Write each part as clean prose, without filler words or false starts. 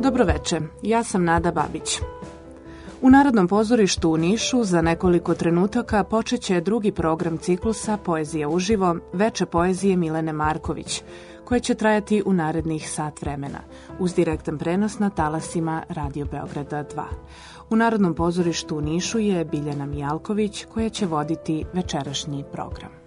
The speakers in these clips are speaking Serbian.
Dobroveče, ja sam Nada Babić. U Narodnom pozorištu u Nišu za nekoliko trenutaka počeće drugi program ciklusa Poezija uživo, Veče poezije Milene Marković, koje će trajati u narednih sat vremena, uz direktan prenos na talasima Radio Beograda 2. U Narodnom pozorištu u Nišu je Biljana Mijalković, koja će voditi večerašnji program.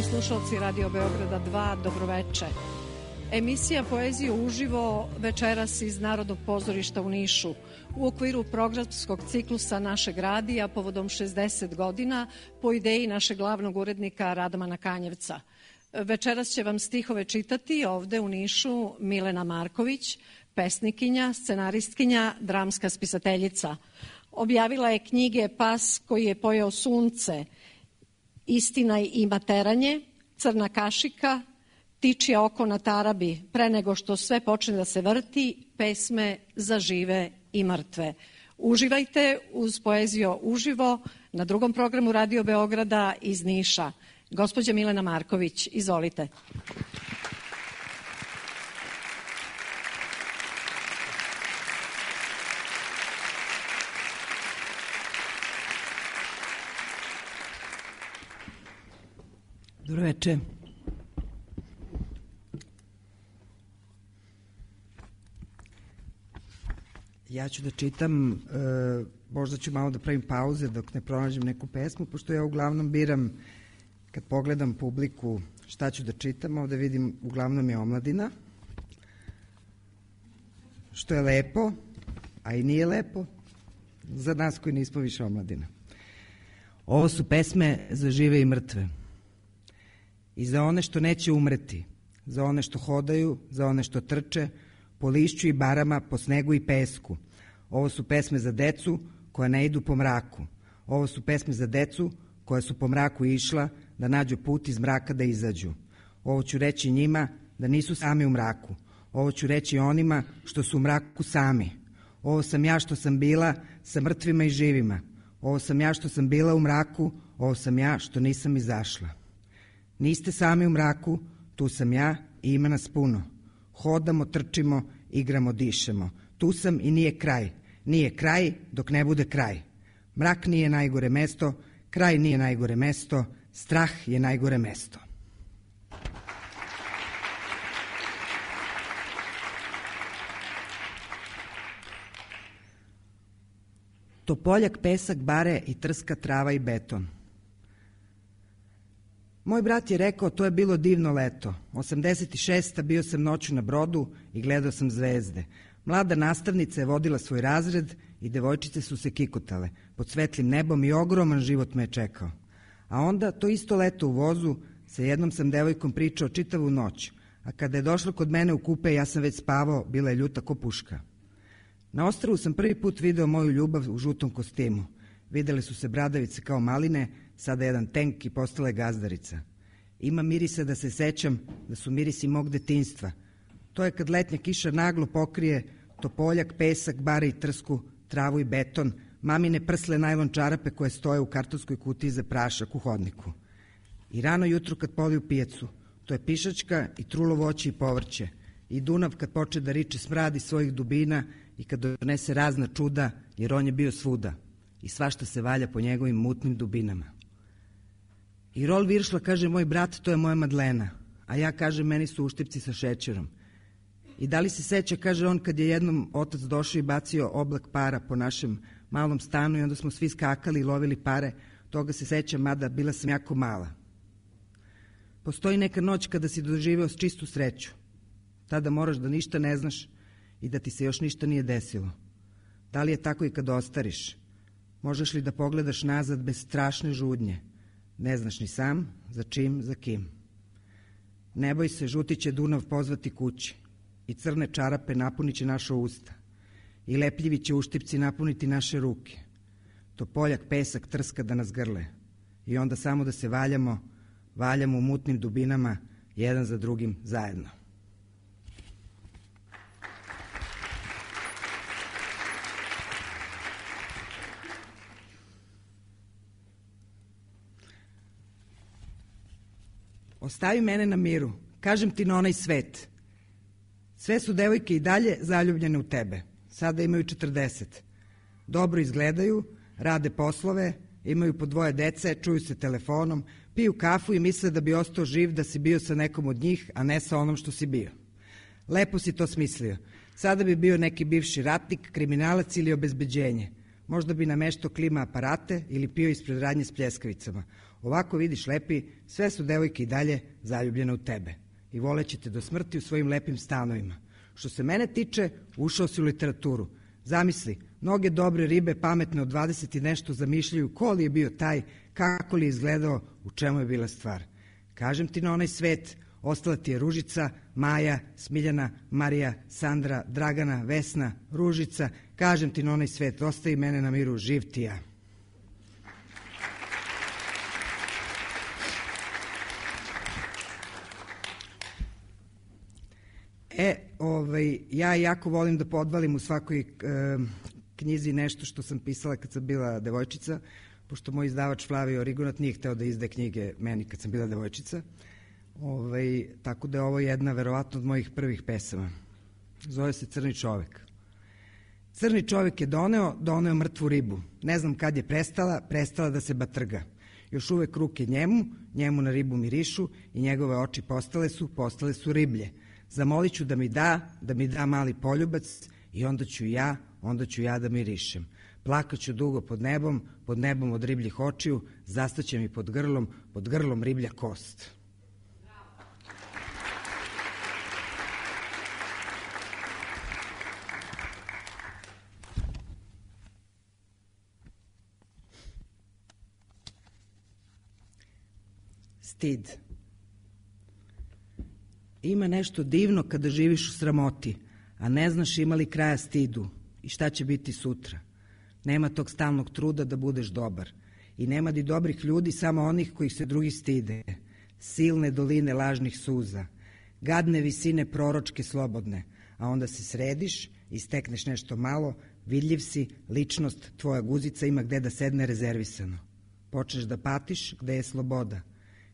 Slušalci Radio Beograda 2, dobroveče. Emisija Poezija uživo večeras iz Narodnog pozorišta u Nišu u okviru programskog ciklusa našeg radija povodom 60 godina po ideji našeg glavnog urednika Radmana Kanjevca. Večeras će vam stihove čitati ovde u Nišu Milena Marković, pesnikinja, scenaristkinja, dramska spisateljica. Objavila je knjige Pas koji je pojeo sunce, Istina i materanje, Crna kašika, Tičije oko na tarabi, Pre nego što sve počne da se vrti, Pesme za žive i mrtve. Uživajte uz Poeziju uživo na drugom programu Radio Beograda iz Niša. Gospođa Milena Marković, izvolite. Dobro veče. Ja ću da čitam, možda ću malo da pravim pauze dok ne pronađem neku pesmu, pošto ja uglavnom biram, kad pogledam publiku šta ću da čitam, ovde vidim uglavnom je omladina, što je lepo, a i nije lepo, za nas koji nismo više omladina. Ovo su pesme za žive i mrtve. I za one što neće umreti, za one što hodaju, za one što trče, po lišću i barama, po snegu i pesku. Ovo su pesme za decu koja ne idu po mraku. Ovo su pesme za decu koja su po mraku išla da nađu put iz mraka da izađu. Ovo ću reći njima da nisu sami u mraku. Ovo ću reći onima što su u mraku sami. Ovo sam ja što sam bila sa mrtvima i živima. Ovo sam ja što sam bila u mraku, ovo sam ja što nisam izašla. Niste sami u mraku, tu sam ja i ima nas puno. Hodamo, trčimo, igramo, dišemo. Tu sam i nije kraj. Nije kraj dok ne bude kraj. Mrak nije najgore mesto, kraj nije najgore mesto, strah je najgore mesto. Topoljak, pesak, bare i trska, trava i beton. Moj brat je rekao, to je bilo divno leto. 86. bio sam noću na brodu i gledao sam zvezde. Mlada nastavnica je vodila svoj razred i devojčice su se kikotale. Pod svetlim nebom i ogroman život me je čekao. A onda, to isto leto u vozu, sa jednom sam devojkom pričao čitavu noć. A kada je došla kod mene u kupe, ja sam već spavao, bila je ljuta ko puška. Na ostrvu sam prvi put video moju ljubav u žutom kostimu. Videle su se bradavice kao maline, sada jedan tenk i postala je gazdarica. Ima mirisa da se sećam da su mirisi mog detinjstva. To je kad letnja kiša naglo pokrije topoljak, pesak, bare i trsku, travu i beton, mamine prsle najlon čarape koje stoje u kartonskoj kutiji za prašak u hodniku. I rano jutro kad poliju pijacu, to je pišačka i trulo voće i povrće. I Dunav kad poče da riče smradi svojih dubina i kad donese razna čuda, jer on je bio svuda. I svašta se valja po njegovim mutnim dubinama. I Rol Viršla kaže, moj brat, to je moja Madlena, a ja kažem, meni su uštipci sa šećerom. I da li se seća, kaže on, kad je jednom otac došao i bacio oblak para po našem malom stanu i onda smo svi skakali i lovili pare, toga se sećam, mada bila sam jako mala. Postoji neka noć kada si doživeo s čistu sreću. Tada moraš da ništa ne znaš i da ti se još ništa nije desilo. Da li je tako i kad ostariš? Možeš li da pogledaš nazad bez strašne žudnje? Ne znaš ni sam, za čim, za kim. Ne boj se, žuti će Dunav pozvati kući i crne čarape napunit će naša usta i lepljivi će uštipci napuniti naše ruke. Topoljak, pesak, trska da nas grle i onda samo da se valjamo u mutnim dubinama, jedan za drugim zajedno. Ostavi mene na miru, kažem ti na onaj svet. Sve su devojke i dalje zaljubljene u tebe. Sada imaju 40. Dobro izgledaju, rade poslove, imaju po 2 dece, čuju se telefonom, piju kafu i misle da bi ostao živ da si bio sa nekom od njih, a ne sa onom što si bio. Lepo si to smislio. Sada bi bio neki bivši ratnik, kriminalac ili obezbeđenje. Možda bi nameštao klima aparate ili pio ispred radnje s pljeskavicama. Ovako vidiš, lepi, sve su devojke i dalje zaljubljene u tebe i voleće te do smrti u svojim lepim stanovima. Što se mene tiče, ušao si u literaturu. Zamisli, mnoge dobre ribe, pametne od 20 i nešto, zamišljaju ko li je bio taj, kako li je izgledao, u čemu je bila stvar. Kažem ti na onaj svet, ostala ti je Ružica, Maja, Smiljana, Marija, Sandra, Dragana, Vesna, Ružica. Kažem ti na onaj svet, ostavi mene na miru, živ ti ja. Ja jako volim da podvalim u svakoj knjizi nešto što sam pisala kad sam bila devojčica, pošto moj izdavač Flavio Rigonat nije hteo da izde knjige meni kad sam bila devojčica. Tako da je ovo jedna verovatno od mojih prvih pesama. Zove se Crni čovek. Crni čovek je doneo mrtvu ribu. Ne znam kad je prestala da se batrga. Još uvek ruke njemu na ribu mirišu i njegove oči postale su riblje. Zamolit ću da mi da mali poljubac i onda ću ja da mirišem. Plakaću dugo pod nebom od ribljih očiju, zastaće mi pod grlom riblja kost. Stid. Ima nešto divno kada živiš u sramoti, a ne znaš ima li kraja stidu i šta će biti sutra. Nema tog stalnog truda da budeš dobar. I nema ni dobrih ljudi, samo onih kojih se drugi stide. Silne doline lažnih suza, gadne visine proročke slobodne, a onda se središ i stekneš nešto malo, vidljiv si, ličnost, tvoja guzica ima gde da sedne rezervisano. Počneš da patiš gde je sloboda.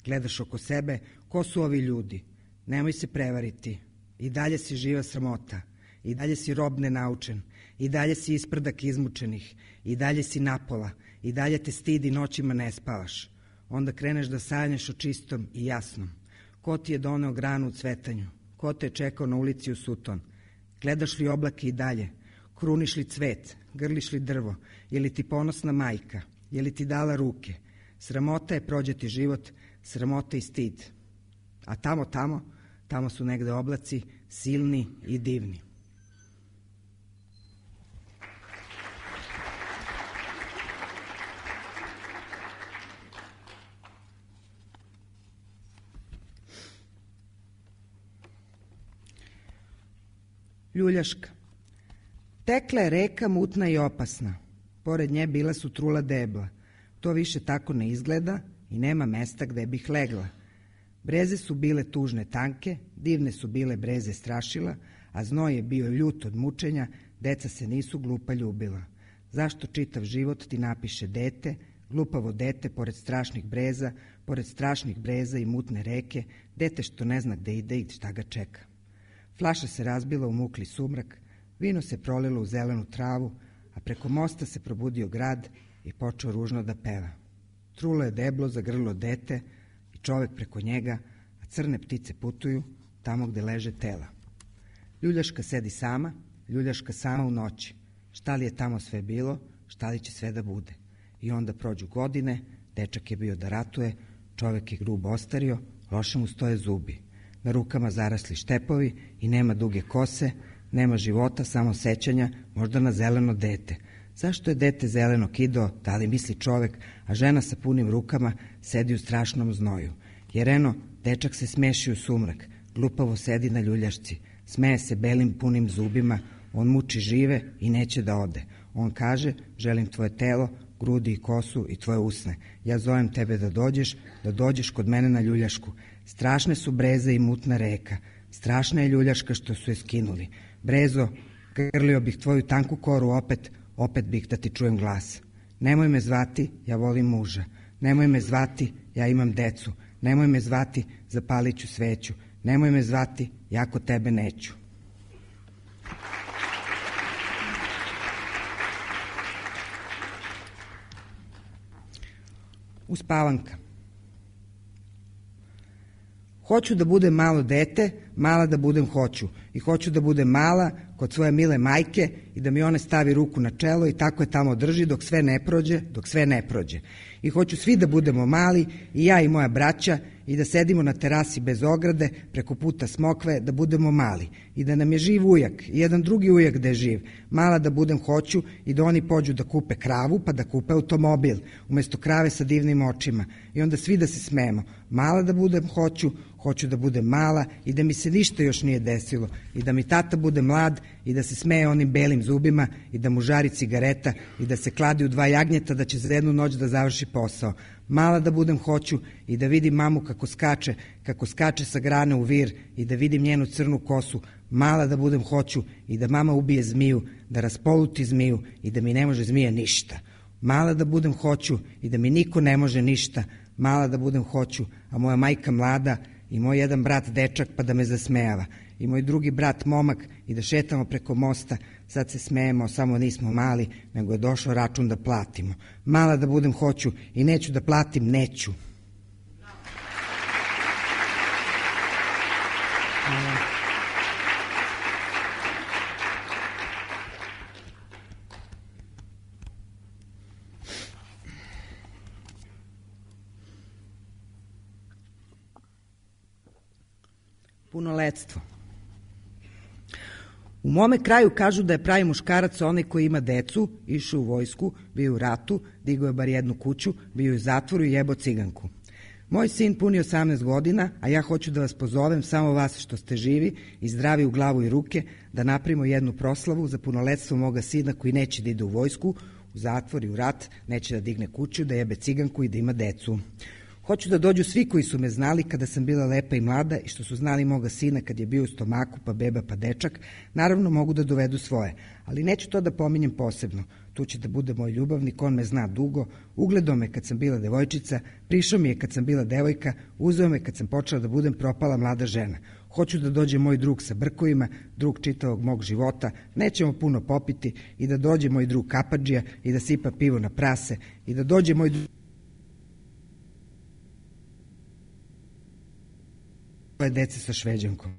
Gledaš oko sebe, ko su ovi ljudi? Nemoj se prevariti. I dalje si živa sramota. I dalje si rob nenaučen. I dalje si isprdak izmučenih. I dalje si napola. I dalje te stidi, noćima ne spavaš. Onda kreneš da sanjaš o čistom i jasnom. Ko ti je doneo granu u cvetanju? Ko te je čekao na ulici u Suton? Gledaš li oblake i dalje? Kruniš li cvet? Grliš li drvo? Je li ti ponosna majka? Je li ti dala ruke? Sramota je prođeti život, sramota i stid. A tamo su negde oblaci, silni i divni. Ljuljaška. Tekla je reka mutna i opasna. pored nje bila su trula debla. To više tako ne izgleda i nema mesta gde bih legla. Breze su bile tužne tanke, divne su bile breze strašila, a znoj je bio ljut od mučenja, deca se nisu glupa ljubila. Zašto čitav život ti napiše dete, glupavo dete pored strašnih breza i mutne reke, dete što ne zna gde ide i šta ga čeka. Flaša se razbila u mukli sumrak, vino se prolilo u zelenu travu, a preko mosta se probudio grad i počeo ružno da peva. Trulo je deblo za grlo dete i čovek preko njega, a crne ptice putuju tamo gde leže tela. Ljuljaška sedi sama, ljuljaška sama u noći. Šta li je tamo sve bilo, šta li će sve da bude? I onda prođu godine, dečak je bio da ratuje, čovek je grubo ostario, loše mu stoje zubi. Na rukama zarasli štepovi i nema duge kose, nema života, samo sećanja, možda na zeleno dete. Zašto je dete zeleno kido, da li misli čovek, a žena sa punim rukama sedi u strašnom znoju. Jer eno, dečak se smeši u sumrak, glupavo sedi na ljuljašci, smeje se belim punim zubima, on muči žive i neće da ode. On kaže, želim tvoje telo, grudi i kosu i tvoje usne. Ja zovem tebe da dođeš kod mene na ljuljašku. Strašne su breze i mutna reka, strašna je ljuljaška što su je skinuli. Brezo, grlio bih tvoju tanku koru opet bih da ti čujem glas. Nemoj me zvati, ja volim muža. Nemoj me zvati, ja imam decu. Nemoj me zvati, zapalit ću sveću. Nemoj me zvati, ja kod tebe neću. Uspavanka. Hoću da budem malo dete, mala da budem hoću. I hoću da budem mala kod svoje mile majke i da mi one stavi ruku na čelo i tako je tamo drži dok sve ne prođe. I hoću svi da budemo mali, i ja i moja braća, i da sedimo na terasi bez ograde, preko puta smokve, da budemo mali. I da nam je živ ujak, i jedan drugi ujak da je živ. Mala da budem hoću i da oni pođu da kupe kravu, pa da kupe automobil, umesto krave sa divnim očima. I onda svi da se smemo. Mala da budem hoću da budem mala i da mi se ništa još nije desilo. I da mi tata bude mlad i da se smeje onim belim zubima i da mu žari cigareta i da se kladi u 2 jagnjeta da će za jednu noć da završi posao. Mala da budem hoću i da vidim mamu kako skače sa grane u vir i da vidim njenu crnu kosu. Mala da budem hoću i da mama ubije zmiju, da raspoluti zmiju i da mi ne može zmija ništa. Mala da budem hoću i da mi niko ne može ništa. Mala da budem hoću, a moja majka mlada i moj jedan brat dečak pa da me zasmejava. I moj drugi brat momak i da šetamo preko mosta, sad se smejemo, samo nismo mali, nego je došao račun da platimo. Mala da budem hoću i neću da platim, neću. Punoletstvo. U mome kraju kažu da je pravi muškarac onaj koji ima decu, išao u vojsku, bio u ratu, digao je bar jednu kuću, bio u zatvoru i jebo ciganku. Moj sin puni 18 godina, a ja hoću da vas pozovem, samo vas što ste živi i zdravi u glavu i ruke, da napravimo jednu proslavu za punoletstvo moga sina koji neće da ide u vojsku, u zatvor i u rat, neće da digne kuću, da jebe ciganku i da ima decu. Hoću da dođu svi koji su me znali kada sam bila lepa i mlada i što su znali moga sina kad je bio u stomaku, pa beba, pa dečak. Naravno mogu da dovedu svoje, ali neću to da pominjem posebno. Tu će da bude moj ljubavnik, on me zna dugo, ugledao me kad sam bila devojčica, prišao mi je kad sam bila devojka, uzeo me kad sam počela da budem propala mlada žena. Hoću da dođe moj drug sa brkovima, drug čitavog mog života, nećemo puno popiti, i da dođe moj drug kapadžija i da sipa pivo na prase, i da dođe moj dece sa Šveđankom.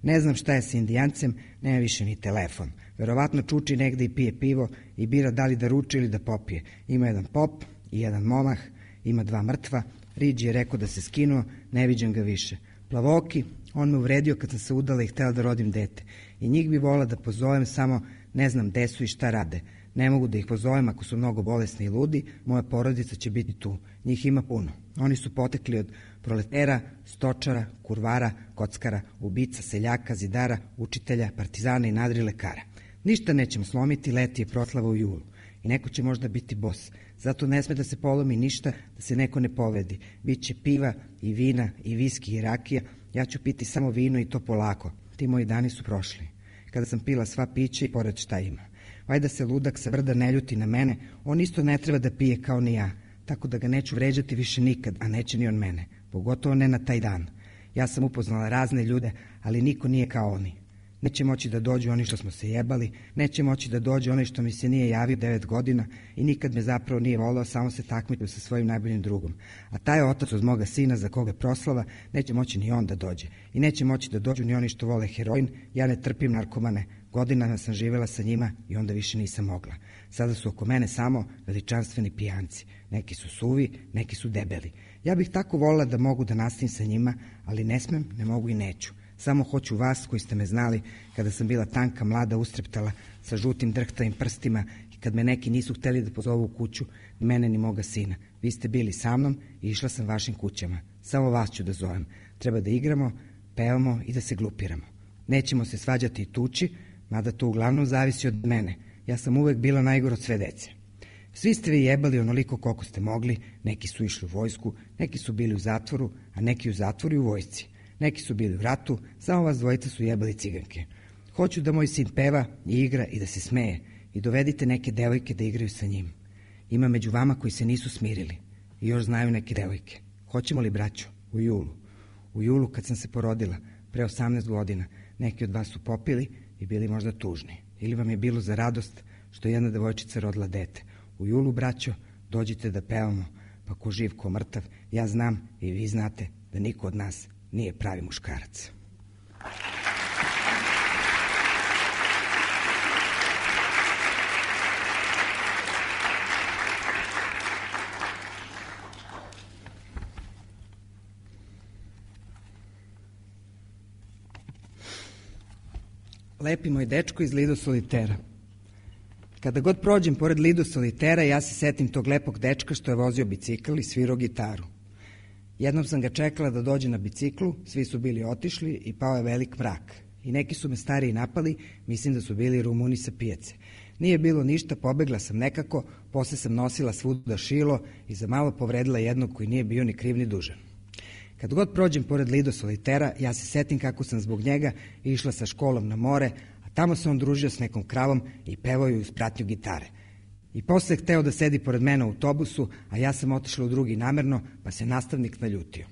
Ne znam šta je sa Indijancem, nema više ni telefon. Verovatno čuči negde i pije pivo i bira da li da ruči ili da popije. Ima jedan pop i jedan momah, ima 2 mrtva. Riđi je rekao da se skinuo, ne viđam ga više. Plavoki, on me uvredio kad sam se udala i htela da rodim dete. I njih bi volila da pozovem, samo ne znam gde su i šta rade. Ne mogu da ih pozovem ako su mnogo bolesni i ludi, moja porodica će biti tu. Njih ima puno. Oni su potekli od proletera, stočara, kurvara, kockara, ubica, seljaka, zidara, učitelja, partizana i nadri lekara. Ništa nećemo slomiti, leti je proslava u julu. I neko će možda biti bos. Zato ne sme da se polomi ništa, da se neko ne povedi. Biće piva i vina i viski i rakija. Ja ću piti samo vino i to polako. Ti moji dani su prošli. Kada sam pila sva pića i pored šta ima. Vajda se ludak sa brda ne ljuti na mene. On isto ne treba da pije kao ni ja. Tako da ga neću vređati više nikad, a neće ni on mene. Pogotovo ne na taj dan. Ja sam upoznala razne ljude, ali niko nije kao oni. Neće moći da dođu oni što smo se jebali, neće moći da dođu oni što mi se nije javio 9 godina i nikad me zapravo nije volao, samo se takmičio sa svojim najboljim drugom. A taj otac od moga sina za koga proslava, neće moći ni on da dođe. I neće moći da dođu ni oni što vole heroin, ja ne trpim narkomane. Godinama sam živjela sa njima i onda više nisam mogla. Sada su oko mene samo veličanstveni pijanci. Neki su suvi, neki su debeli. Ja bih tako volila da mogu da nastavim sa njima, ali ne smem, ne mogu i neću. Samo hoću vas koji ste me znali kada sam bila tanka, mlada, ustreptala, sa žutim drhtavim prstima i kad me neki nisu hteli da pozovu u kuću, ni mene ni moga sina. Vi ste bili sa mnom i išla sam vašim kućama. Samo vas ću da zovem. Treba da igramo, pevamo i da se glupiramo. Nećemo se svađati i tući, mada to uglavnom zavisi od mene. Ja sam uvek bila najgora od sve dece. Svi ste vi jebali onoliko koliko ste mogli, neki su išli u vojsku, neki su bili u zatvoru, a neki u zatvoru i u vojsci. Neki su bili u ratu, samo vas dvojica su jebali ciganke. Hoću da moj sin peva i igra i da se smeje i dovedite neke devojke da igraju sa njim. Ima među vama koji se nisu smirili i još znaju neke devojke. Hoćemo li, braćo, u julu? U julu kad sam se porodila, pre 18 godina, neki od vas su popili i bili možda tužni. Ili vam je bilo za radost što jedna devojčica rodila dete. U julu, braćo, dođite da pevamo, pa ko živ, ko mrtav, ja znam i vi znate da niko od nas nije pravi muškarac. Lepi moj dečko iz Lido Solitera. Kada god prođem pored Lido Solitera, ja se setim tog lepog dečka što je vozio bicikl i svirao gitaru. Jednom sam ga čekala da dođe na biciklu, svi su bili otišli i pao je velik mrak. I neki su me stariji napali, mislim da su bili Rumuni sa pijace. Nije bilo ništa, pobegla sam nekako, posle sam nosila svuda šilo i za malo povredila jednog koji nije bio ni kriv ni dužan. Kad god prođem pored Lido Solitera, ja se setim kako sam zbog njega išla sa školom na more, a tamo se on družio s nekom kravom i pevao ju uz pratnju gitare. I posle je hteo da sedi pored mene u autobusu, a ja sam otišla u drugi namerno, pa se nastavnik naljutio.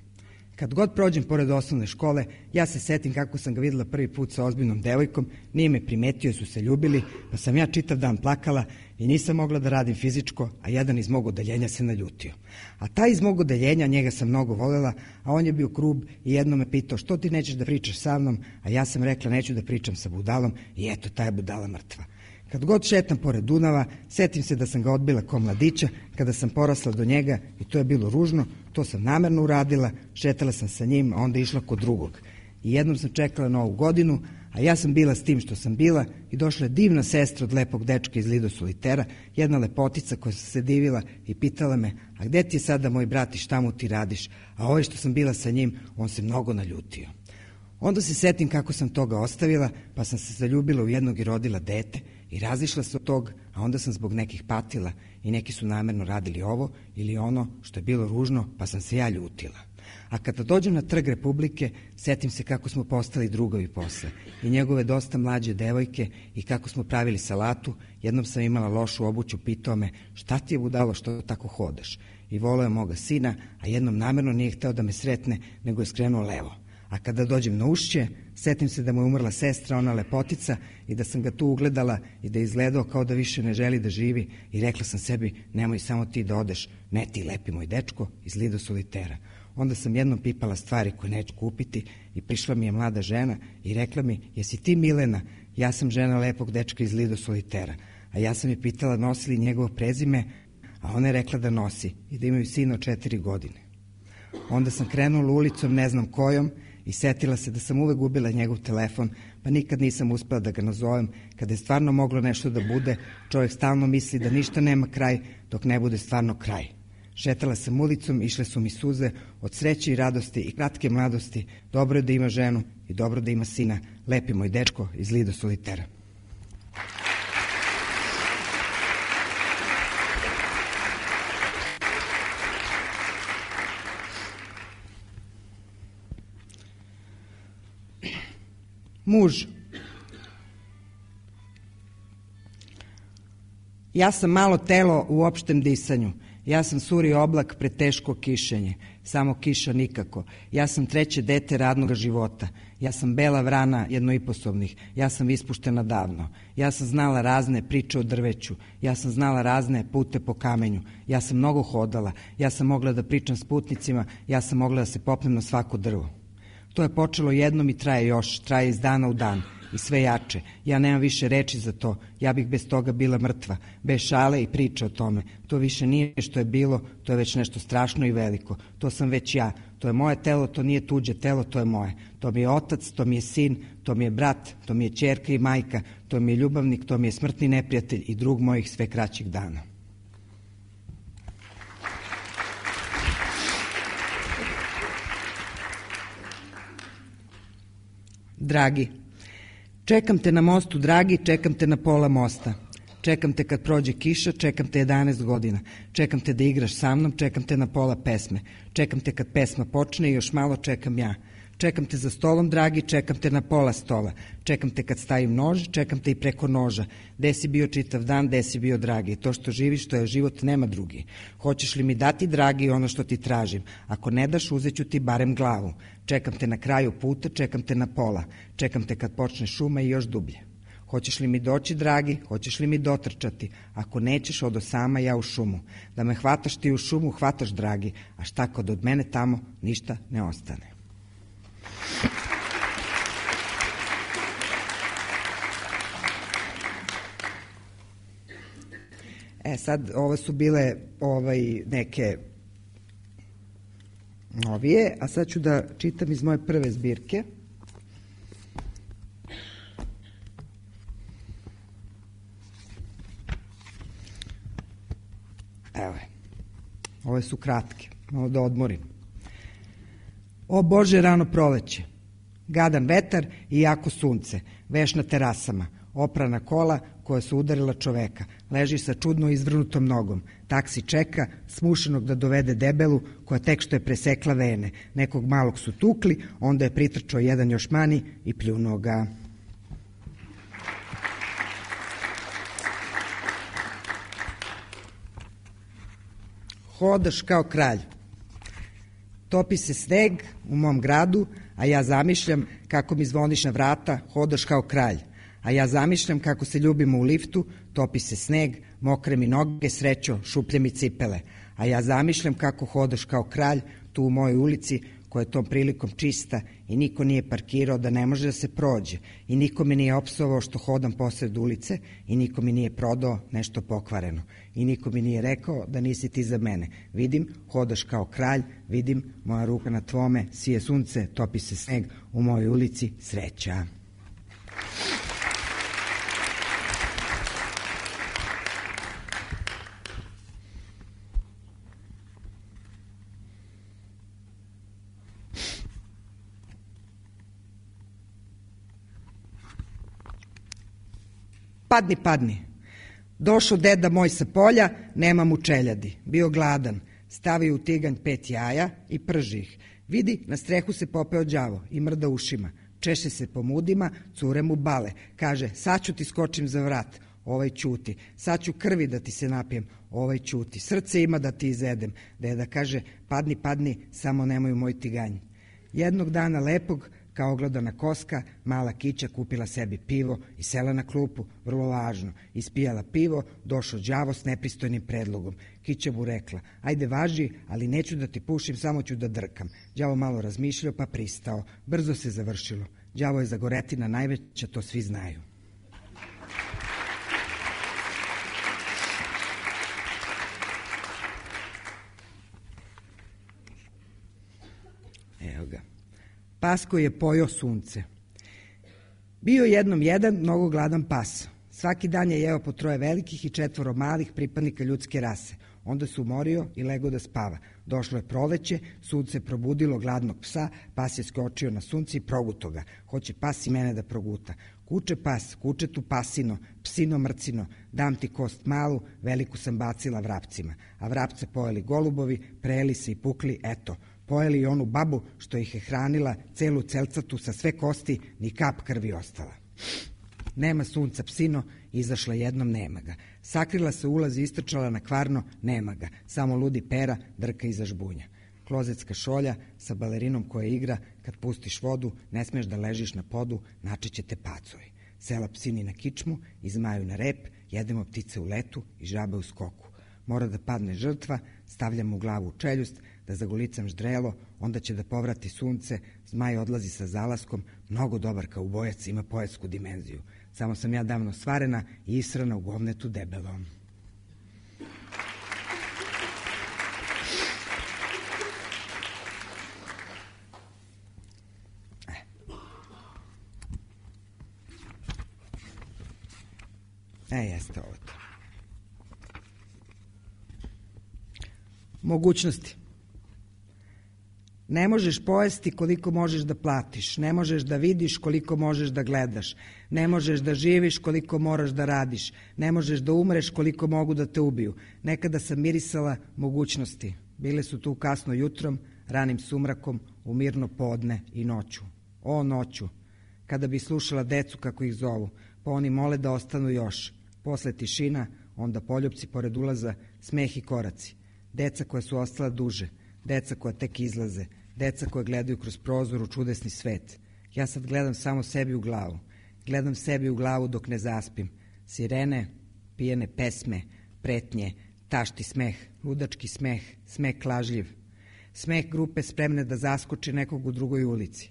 Kad god prođem pored osnovne škole, ja se setim kako sam ga videla prvi put sa ozbiljnom devojkom, nije me primetio, su se ljubili, pa sam ja čitav dan plakala i nisam mogla da radim fizičko, a jedan iz mog odeljenja se naljutio. A taj iz mog odeljenja, njega sam mnogo volela, a on je bio grub i jedno me pitao što ti nećeš da pričaš sa mnom, a ja sam rekla neću da pričam sa budalom i eto, ta je budala mrtva. Kad god šetam pored Dunava, setim se da sam ga odbila ko mladića, kada sam porasla do njega i to je bilo ružno, to sam namerno uradila, šetala sam sa njim, a onda išla kod drugog. I jednom sam čekala Novu godinu, a ja sam bila s tim što sam bila i došla je divna sestra od lepog dečka iz Lido Solitera, jedna lepotica koja se divila i pitala me, a gde ti je sada moj brat i šta mu ti radiš, a ovaj što sam bila sa njim, on se mnogo naljutio. Onda se setim kako sam toga ostavila, pa sam se zaljubila u jednog i rodila dete i razišla se od tog, a onda sam zbog nekih patila i neki su namerno radili ovo ili ono što je bilo ružno, pa sam se ja ljutila. A kada dođem na Trg Republike, setim se kako smo postali drugovi posle i njegove dosta mlađe devojke i kako smo pravili salatu. Jednom sam imala lošu obuću, pitao me šta ti je budalo što tako hodaš i voleo je moga sina, a jednom namerno nije hteo da me sretne, nego je skrenuo levo. A kada dođem na Ušće, setim se da mu je umrla sestra, ona lepotica, i da sam ga tu ugledala i da je izgledao kao da više ne želi da živi i rekla sam sebi, nemoj samo ti da odeš, ne ti lepi moj dečko iz Lido Solitera. Onda sam jednom pipala stvari koje neću kupiti i prišla mi je mlada žena i rekla mi, jesi ti Milena? Ja sam žena lepog dečka iz Lido Solitera. A ja sam je pitala nosi li njegovo prezime, a ona je rekla da nosi i da imaju sina od 4 godine. Onda sam krenula ulicom, ne znam kojom, i setila se da sam uvek gubila njegov telefon, pa nikad nisam uspela da ga nazovem. Kada je stvarno moglo nešto da bude, čovjek stalno misli da ništa nema kraj dok ne bude stvarno kraj. Šetala sam ulicom, išle su mi suze od sreće i radosti i kratke mladosti. Dobro je da ima ženu i dobro da ima sina, lepi moj dečko iz Lido Solitera. Muž. Ja sam malo telo u opštem disanju. Ja sam suri oblak pred teško kišenje. Samo kiša nikako. Ja sam treće dete radnog života. Ja sam bela vrana jednoiposobnih. Ja sam ispuštena davno. Ja sam znala razne priče o drveću. Ja sam znala razne pute po kamenju. Ja sam mnogo hodala. Ja sam mogla da pričam s putnicima. Ja sam mogla da se popnem na svako drvo. To je počelo jednom i traje još. Traje iz dana u dan. I sve jače. Ja nemam više reči za to. Ja bih bez toga bila mrtva. Bez šale i priče o tome. To više nije što je bilo, to je već nešto strašno i veliko. To sam već ja. To je moje telo, to nije tuđe telo, to je moje. To mi je otac, to mi je sin, to mi je brat, to mi je ćerka i majka, to mi je ljubavnik, to mi je smrtni neprijatelj i drug mojih sve kraćih dana. Dragi, čekam te na mostu, dragi, čekam te na pola mosta. Čekam te kad prođe kiša, čekam te 11 godina. Čekam te da igraš sa mnom, čekam te na pola pesme. Čekam te kad pesma počne i još malo čekam ja. Čekam te za stolom, dragi, čekam te na pola stola. Čekam te kad stavim nož, čekam te i preko noža. Gde si bio čitav dan, gde si bio, dragi? To što živiš, to je život, nema drugi. Hoćeš li mi dati, dragi, ono što ti tražim? Ako ne daš, uzet ću ti barem glavu. Čekam te na kraju puta, čekam te na pola. Čekam te kad počne šuma i još dublje. Hoćeš li mi doći, dragi, hoćeš li mi dotrčati? Ako nećeš, odo sama ja u šumu. Da me hvataš ti u šumu, hvataš, dragi, a šta kod od mene tamo ništa ne ostane. Sad, ovo su bile neke novije, a sad ću da čitam iz moje prve zbirke. Evo je. Ove su kratke, malo da odmorim. O Bože, rano proleće, gadan vetar i jako sunce, veš na terasama, oprana kola koja su udarila čoveka, leži sa čudno izvrnutom nogom, taksi čeka, smušenog da dovede debelu, koja tek što je presekla vene, nekog malog su tukli, onda je pritrčao jedan još mani i pljunuo ga. Hodaš kao kralj. Topi se sneg u mom gradu, a ja zamišljam kako mi zvoniš na vrata, hodaš kao kralj. A ja zamišljam kako se ljubimo u liftu, topi se sneg, mokre mi noge, srećo, šuplje mi cipele. A ja zamišljam kako hodaš kao kralj tu u mojoj ulici, koja je tom prilikom čista i niko nije parkirao da ne može da se prođe i niko me nije opsovao što hodam posred ulice i niko mi nije prodao nešto pokvareno i niko mi nije rekao da nisi ti za mene. Vidim, hodaš kao kralj, vidim, moja ruka na tvome, sije sunce, topi se sneg u mojoj ulici, sreća. Padni, padni. Došao deda moj sa polja, nema mu čeljadi. Bio gladan, stavio u tiganj 5 jaja i prži ih. Vidi, na strehu se popeo đavo i mrda ušima. Češe se po mudima, cure mu bale. Kaže, sad ću ti skočim za vrat. Ovaj ćuti. Sad ću krvi da ti se napijem. Ovaj ćuti. Srce ima da ti izedem. Deda kaže, padni, padni, samo nemoj u moj tiganj. Jednog dana lepog, kao ogledana koska, mala Kića kupila sebi pivo i sela na klupu, vrlo važno. Ispijala pivo, došao đavo s nepristojnim predlogom. Kića mu rekla, ajde važi, ali neću da ti pušim, samo ću da drkam. Đavo malo razmišljao pa pristao. Brzo se završilo. Đavo je zagoretina najveća, to svi znaju. Evo ga. Pas koji je pojeo sunce. Bio jednom jedan mnogo gladan pas. Svaki dan je jeo po 3 velikih i 4 malih pripadnika ljudske rase. Onda se umorio i legao da spava. Došlo je proleće, sunce probudilo gladnog psa, pas je skočio na sunce i proguto ga. Hoće pas i mene da proguta. Kuče pas, kuče tu pasino, psino mrcino, dam ti kost malu, veliku sam bacila vrapcima. A vrapce pojeli golubovi, prejeli se i pukli, eto, Pojeli i onu babu što ih je hranila, celu celcatu sa sve kosti, ni kap krvi ostala. Nema sunca, psino, izašla jednom, nema ga. Sakrila se ulaz i istrčala na Kvarno, nema ga. Samo ludi Pera drka iza žbunja. Klozetska šolja sa balerinom koja igra, kad pustiš vodu, ne smeš da ležiš na podu, načiće te pacovi. Sela psini na kičmu i zmaju na rep, jedemo ptice u letu i žabe u skoku. Mora da padne žrtva, stavljam mu glavu u čeljust, da zagolicam ždrelo, onda će da povrati sunce, zmaj odlazi sa zalaskom, mnogo dobar kaubojac, ima poetsku dimenziju. Samo sam ja davno stvarena i israna u govnetu debelom. Jeste ovo to. Mogućnosti. Ne možeš pojesti koliko možeš da platiš, ne možeš da vidiš koliko možeš da gledaš, ne možeš da živiš koliko moraš da radiš, ne možeš da umreš koliko mogu da te ubiju. Nekada sam mirisala mogućnosti. Bile su tu kasno jutrom, ranim sumrakom, u mirno podne i noću. O noću, kada bi slušala decu kako ih zovu, pa oni mole da ostanu još. Posle tišina, onda poljupci pored ulaza, smeh i koraci. Deca koja su ostala duže, deca koja tek izlaze, deca koja gledaju kroz prozor u čudesni svet. Ja sad gledam samo sebi u glavu. Gledam sebi u glavu dok ne zaspim. Sirene, pijene pesme, pretnje, tašti smeh, ludački smeh, smeh lažljiv. Smeh grupe spremne da zaskoči nekog u drugoj ulici.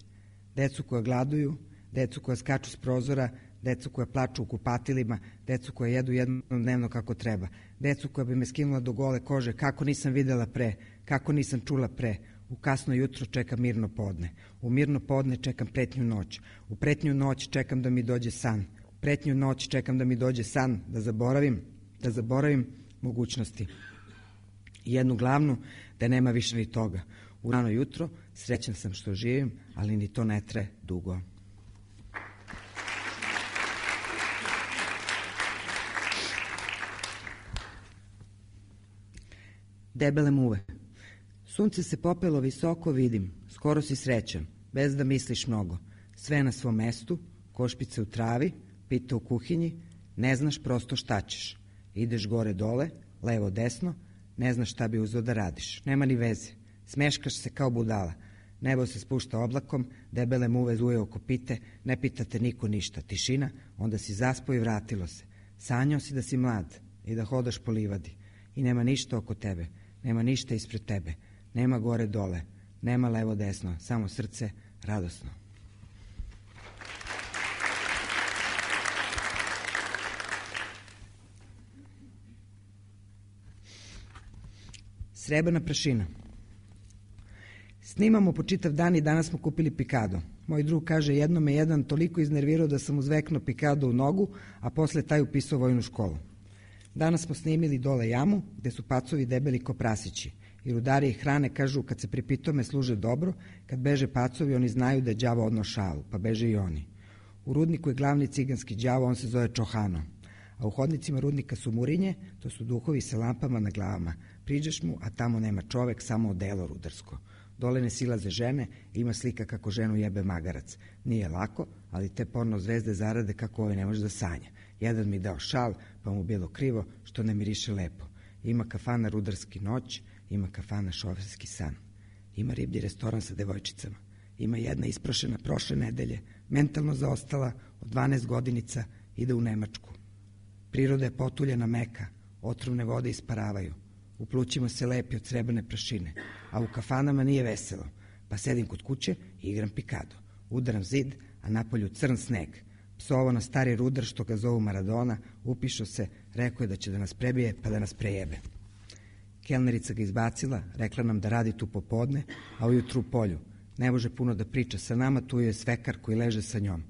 Decu koja gladuju, decu koja skaču s prozora, decu koja plaču u kupatilima, decu koja jedu jednom dnevno kako treba, decu koja bi me skinula do gole kože, kako nisam videla pre, kako nisam čula pre. U kasno jutro čekam mirno podne, u mirno podne čekam pretnju noć, u pretnju noć čekam da mi dođe san, u pretnju noć čekam da mi dođe san, da zaboravim mogućnosti. I jednu glavnu, da nema više ni toga. U rano jutro srećan sam što živim, ali ni to ne traje dugo. Debele muve. Sunce se popelo visoko, vidim, skoro si srećan, bez da misliš mnogo. Sve na svom mestu, košpice u travi, pita u kuhinji, ne znaš prosto šta ćeš. Ideš gore dole, levo desno, ne znaš šta bi uzeo da radiš. Nema ni veze, smeškaš se kao budala. Nebo se spušta oblakom, debele muve zuje oko pite, ne pitate niko ništa. Tišina, onda si zaspao i vratilo se. Sanjao si da si mlad i da hodaš po livadi. I nema ništa oko tebe, nema ništa ispred tebe, nema gore dole, nema levo desno, samo srce radosno. Srebrna prašina. Snimamo po čitav dan i danas smo kupili pikado. Moj drug kaže, jednom me jedan toliko iznervirao da sam uzveknuo pikado u nogu, a posle taj upisao vojnu školu. Danas smo snimili dole jamu, gde su pacovi debeli ko prasići. I rudari ih hrane, kažu, kad se pripitome služe dobro, kad beže pacovi, oni znaju da je đavo odno šalu, pa beže i oni. U rudniku je glavni ciganski đavo, on se zove Čohano. A u hodnicima rudnika su murinje, to su duhovi sa lampama na glavama. Priđeš mu, a tamo nema čovek, samo odelo rudarsko. Dole ne silaze žene, ima slika kako ženu jebe magarac. Nije lako, ali te porno zvezde zarade kako ovaj ne može da sanja. Jedan mi dao šal, pa mu bilo krivo, što ne miriše lepo. Ima kafana rudarski noć, ima kafana šoferski san. Ima riblji restoran sa devojčicama. Ima jedna isprošena prošle nedelje, mentalno zaostala, od 12 godinica, ide u Nemačku. Priroda je potuljena meka, otrovne vode isparavaju. U plućima se lepi od srebrne prašine, a u kafanama nije veselo. Pa sedim kod kuće i igram pikado. Udaram zid, a napolju crn sneg. Psovo na stari rudar što ga zovu Maradona, upišao se, rekao je da će da nas prebije, pa da nas prejebe. Kelnerica ga izbacila, rekla nam da radi tu popodne, a ujutru u polju. Ne može puno da priča sa nama, tu je svekar koji leže sa njom.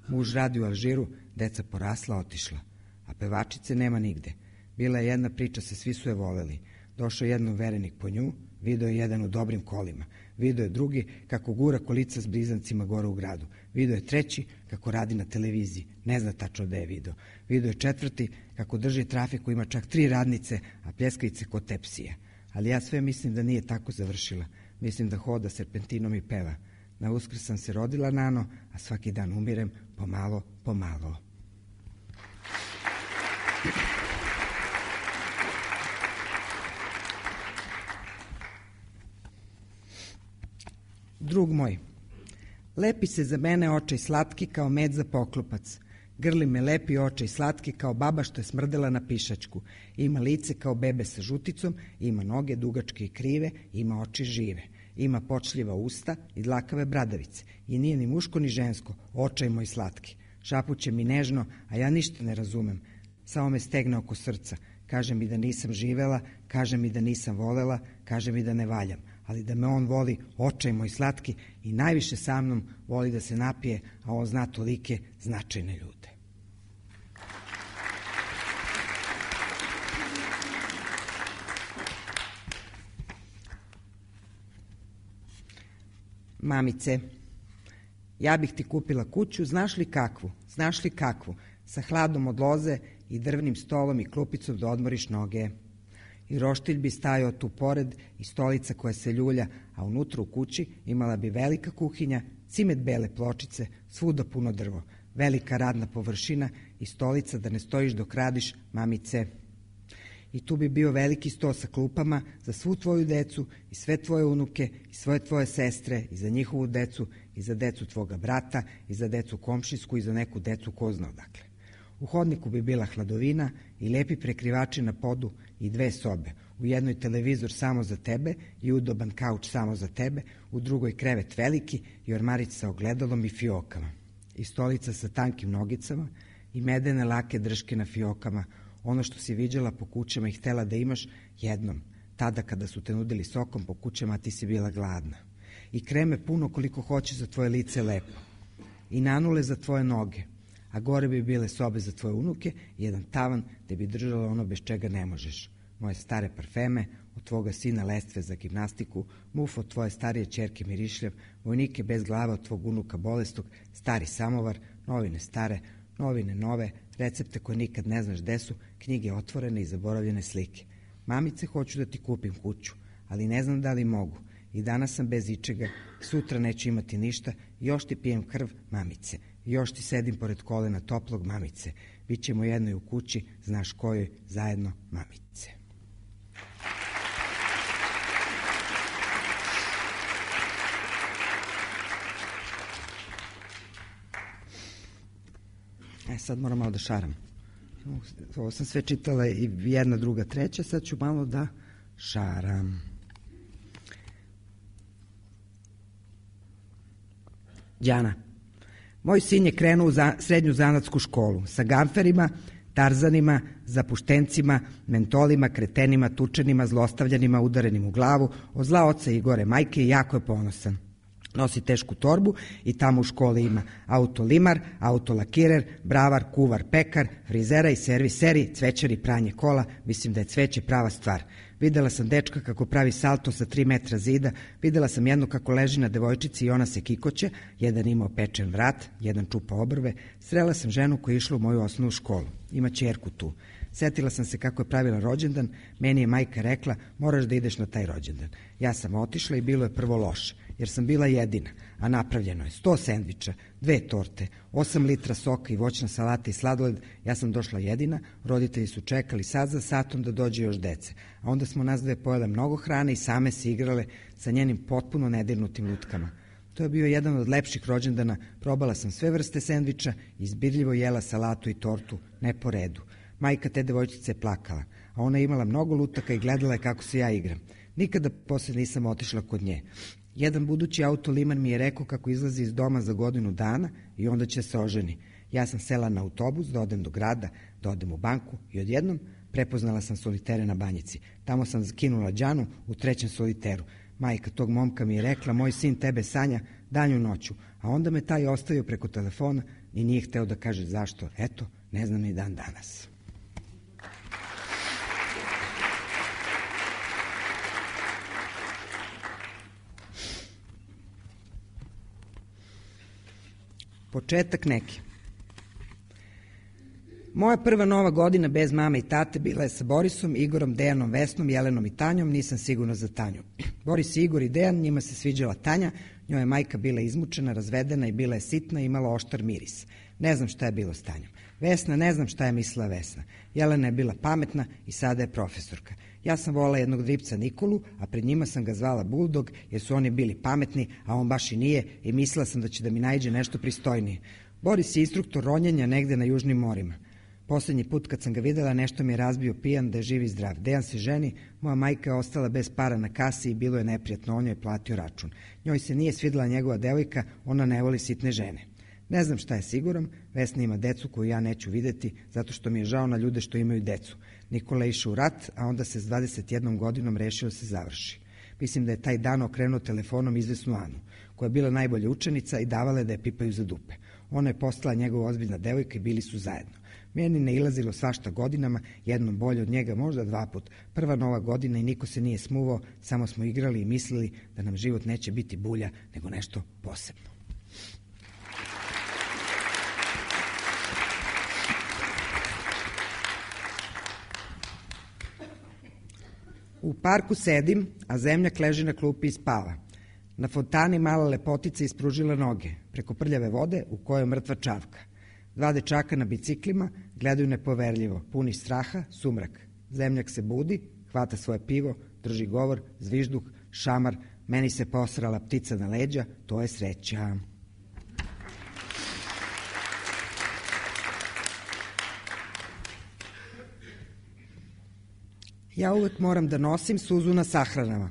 Muž radi u Alžiru, deca porasla, otišla. A pevačice nema nigde. Bila je jedna priča, svi su je voleli. Došao jednom verenik po nju, video je jedan u dobrim kolima. Video je drugi kako gura kolica s blizancima gore u gradu. Video je treći kako radi na televiziji. Ne zna tačno da je video. Video je četvrti kako drži trafiku, ima čak 3 radnice, a pljeskavice kod tepsije. Ali ja sve mislim da nije tako završila. Mislim da hoda serpentinom i peva. Na Uskrs sam se rodila nano, a svaki dan umirem pomalo, pomalo. Drug moj, lepi se za mene očaj slatki kao med za poklopac. Grli me lepi očaj slatki kao baba što je smrdela na pišačku. Ima lice kao bebe sa žuticom, ima noge dugačke i krive, ima oči žive. Ima počljiva usta i dlakave bradavice. I nije ni muško ni žensko, očaj moj slatki. Šapuće mi nežno, a ja ništa ne razumem. Samo me stegne oko srca. Kaže mi da nisam živela, kaže mi da nisam volela, kaže mi da ne valjam. Ali da me on voli, očaj moj slatki, i najviše sa mnom voli da se napije, a on zna tolike značajne ljude. Mamice, ja bih ti kupila kuću, znaš li kakvu, sa hladom od loze i drvnim stolom i klupicom da odmoriš noge. I roštilj bi stajao tu pored i stolica koja se ljulja, a unutra u kući imala bi velika kuhinja, cimet bele pločice, svuda puno drvo, velika radna površina i stolica da ne stojiš dok radiš, mamice. I tu bi bio veliki sto sa klupama za svu tvoju decu i sve tvoje unuke i sve tvoje sestre i za njihovu decu i za decu tvoga brata i za decu komšinsku i za neku decu ko zna odakle. U hodniku bi bila hladovina i lepi prekrivači na podu i 2 sobe. U jednoj televizor samo za tebe i udoban kauč samo za tebe, u drugoj krevet veliki i ormarić sa ogledalom i fiokama. I stolica sa tankim nogicama i medene lake drške na fiokama, ono što si viđala po kućama i htela da imaš jednom, tada kada su te nudili sokom po kućama, a ti si bila gladna. I kreme puno koliko hoće za tvoje lice lepo. I nanule za tvoje noge, a gore bi bile sobe za tvoje unuke i jedan tavan gde bi držala ono bez čega ne možeš. Moje stare parfeme, od tvoga sina lestve za gimnastiku, muf od tvoje starije ćerke mirišljav, vojnike bez glava od tvog unuka bolestog, stari samovar, novine stare, novine nove, recepte koje nikad ne znaš gde su, knjige otvorene i zaboravljene slike. Mamice, hoću da ti kupim kuću, ali ne znam da li mogu. I danas sam bez ičega, sutra neću imati ništa, još ti pijem krv, mamice. Još ti sedim pored kolena toplog, mamice. Bićemo jednoj u kući, znaš kojoj, zajedno, mamice. Sad moram malo da šaram. Ovo sam sve čitala i jedna, druga, treća, sad ću malo da šaram. Đana. Moj sin je krenuo u srednju zanatsku školu sa gamferima, tarzanima, zapuštencima, mentolima, kretenima, tučenima, zlostavljanima, udarenim u glavu, od zla oca i gore majke i jako je ponosan. Nosi tešku torbu i tamo u školi ima autolimar, autolakirer, bravar, kuvar, pekar, frizera i serviseri, cvećar i pranje kola. Mislim da je cveće prava stvar. Videla sam dečka kako pravi salto sa 3 metra zida, videla sam jednu kako leži na devojčici i ona se kikoće, jedan imao pečen vrat, jedan čupa obrve. Srela sam ženu koja je išla u moju osnovnu školu. Ima ćerku tu. Setila sam se kako je pravila rođendan, meni je majka rekla, moraš da ideš na taj rođendan. Ja sam otišla i bilo je prvo loše, jer sam bila jedina, a napravljeno je 100 sendviča, 2 torte, 8 litra soka i voćna salata i sladoled. Ja sam došla jedina, roditelji su čekali sat za satom da dođe još dece, a onda smo nas dve pojele mnogo hrane i same se igrale sa njenim potpuno nedirnutim lutkama. To je bio jedan od lepših rođendana, probala sam sve vrste sendviča i izbirljivo jela salatu i tortu, ne po redu. Majka te devojčice je plakala, a ona je imala mnogo lutaka i gledala je kako se ja igram. Nikada posle nisam otišla kod nje. Jedan budući autoliman mi je rekao kako izlazi iz doma za godinu dana i onda će se oženi. Ja sam sela na autobus da odem do grada, da odem u banku i odjednom prepoznala sam solitere na Banjici. Tamo sam skinula Đanu u 3. soliteru. Majka tog momka mi je rekla, moj sin tebe sanja danju noću, a onda me taj ostavio preko telefona i nije hteo da kaže zašto. Eto, ne znam ni dan danas. Početak neki. Moja prva nova godina bez mame i tate bila je sa Borisom, Igorom, Dejanom, Vesnom, Jelenom i Tanjom, nisam sigurna za Tanju. Boris, Igor i Dejan, njima se sviđala Tanja, njoj je majka bila izmučena, razvedena i bila je sitna i imala oštar miris. Ne znam šta je bilo s Tanjom. Vesna, ne znam šta je mislila Vesna. Jelena je bila pametna i sada je profesorka. Ja sam volala jednog dripca Nikolu, a pred njima sam ga zvala Buldog, jer su oni bili pametni, a on baš i nije, i mislila sam da će da mi naiđe nešto pristojnije. Boris je instruktor ronjenja negde na južnim morima. Poslednji put kad sam ga videla, nešto mi je razbio pijan da je živ i zdrav. Dejan se ženi, moja majka je ostala bez para na kasi i bilo je neprijatno, on joj je platio račun. Njoj se nije svidela njegova devojka, ona ne voli sitne žene. Ne znam šta je siguran, Vesna ima decu koju ja neću videti, zato što mi je žao na ljude što imaju decu. Nikola je išao u rat, a onda se s 21 godinom rešio da se završi. Mislim da je taj dan okrenuo telefonom izvesnu Anu, koja je bila najbolja učenica i davala je da je pipaju za dupe. Ona je postala njegova ozbiljna devojka i bili su zajedno. Meni ne ilazilo svašta godinama, jednom bolje od njega, možda 2 puta. Prva nova godina i niko se nije smuvao, samo smo igrali i mislili da nam život neće biti bulja, nego nešto posebno. U parku sedim, a zemljak leži na klupi i spava. Na fontani mala lepotica ispružila noge, preko prljave vode u kojoj je mrtva čavka. 2 dečaka na biciklima gledaju nepoverljivo, puni straha, sumrak. Zemljak se budi, hvata svoje pivo, drži govor, zvižduk, šamar, meni se posrala ptica na leđa, to je sreća. Ja uvek moram da nosim suzu na sahranama.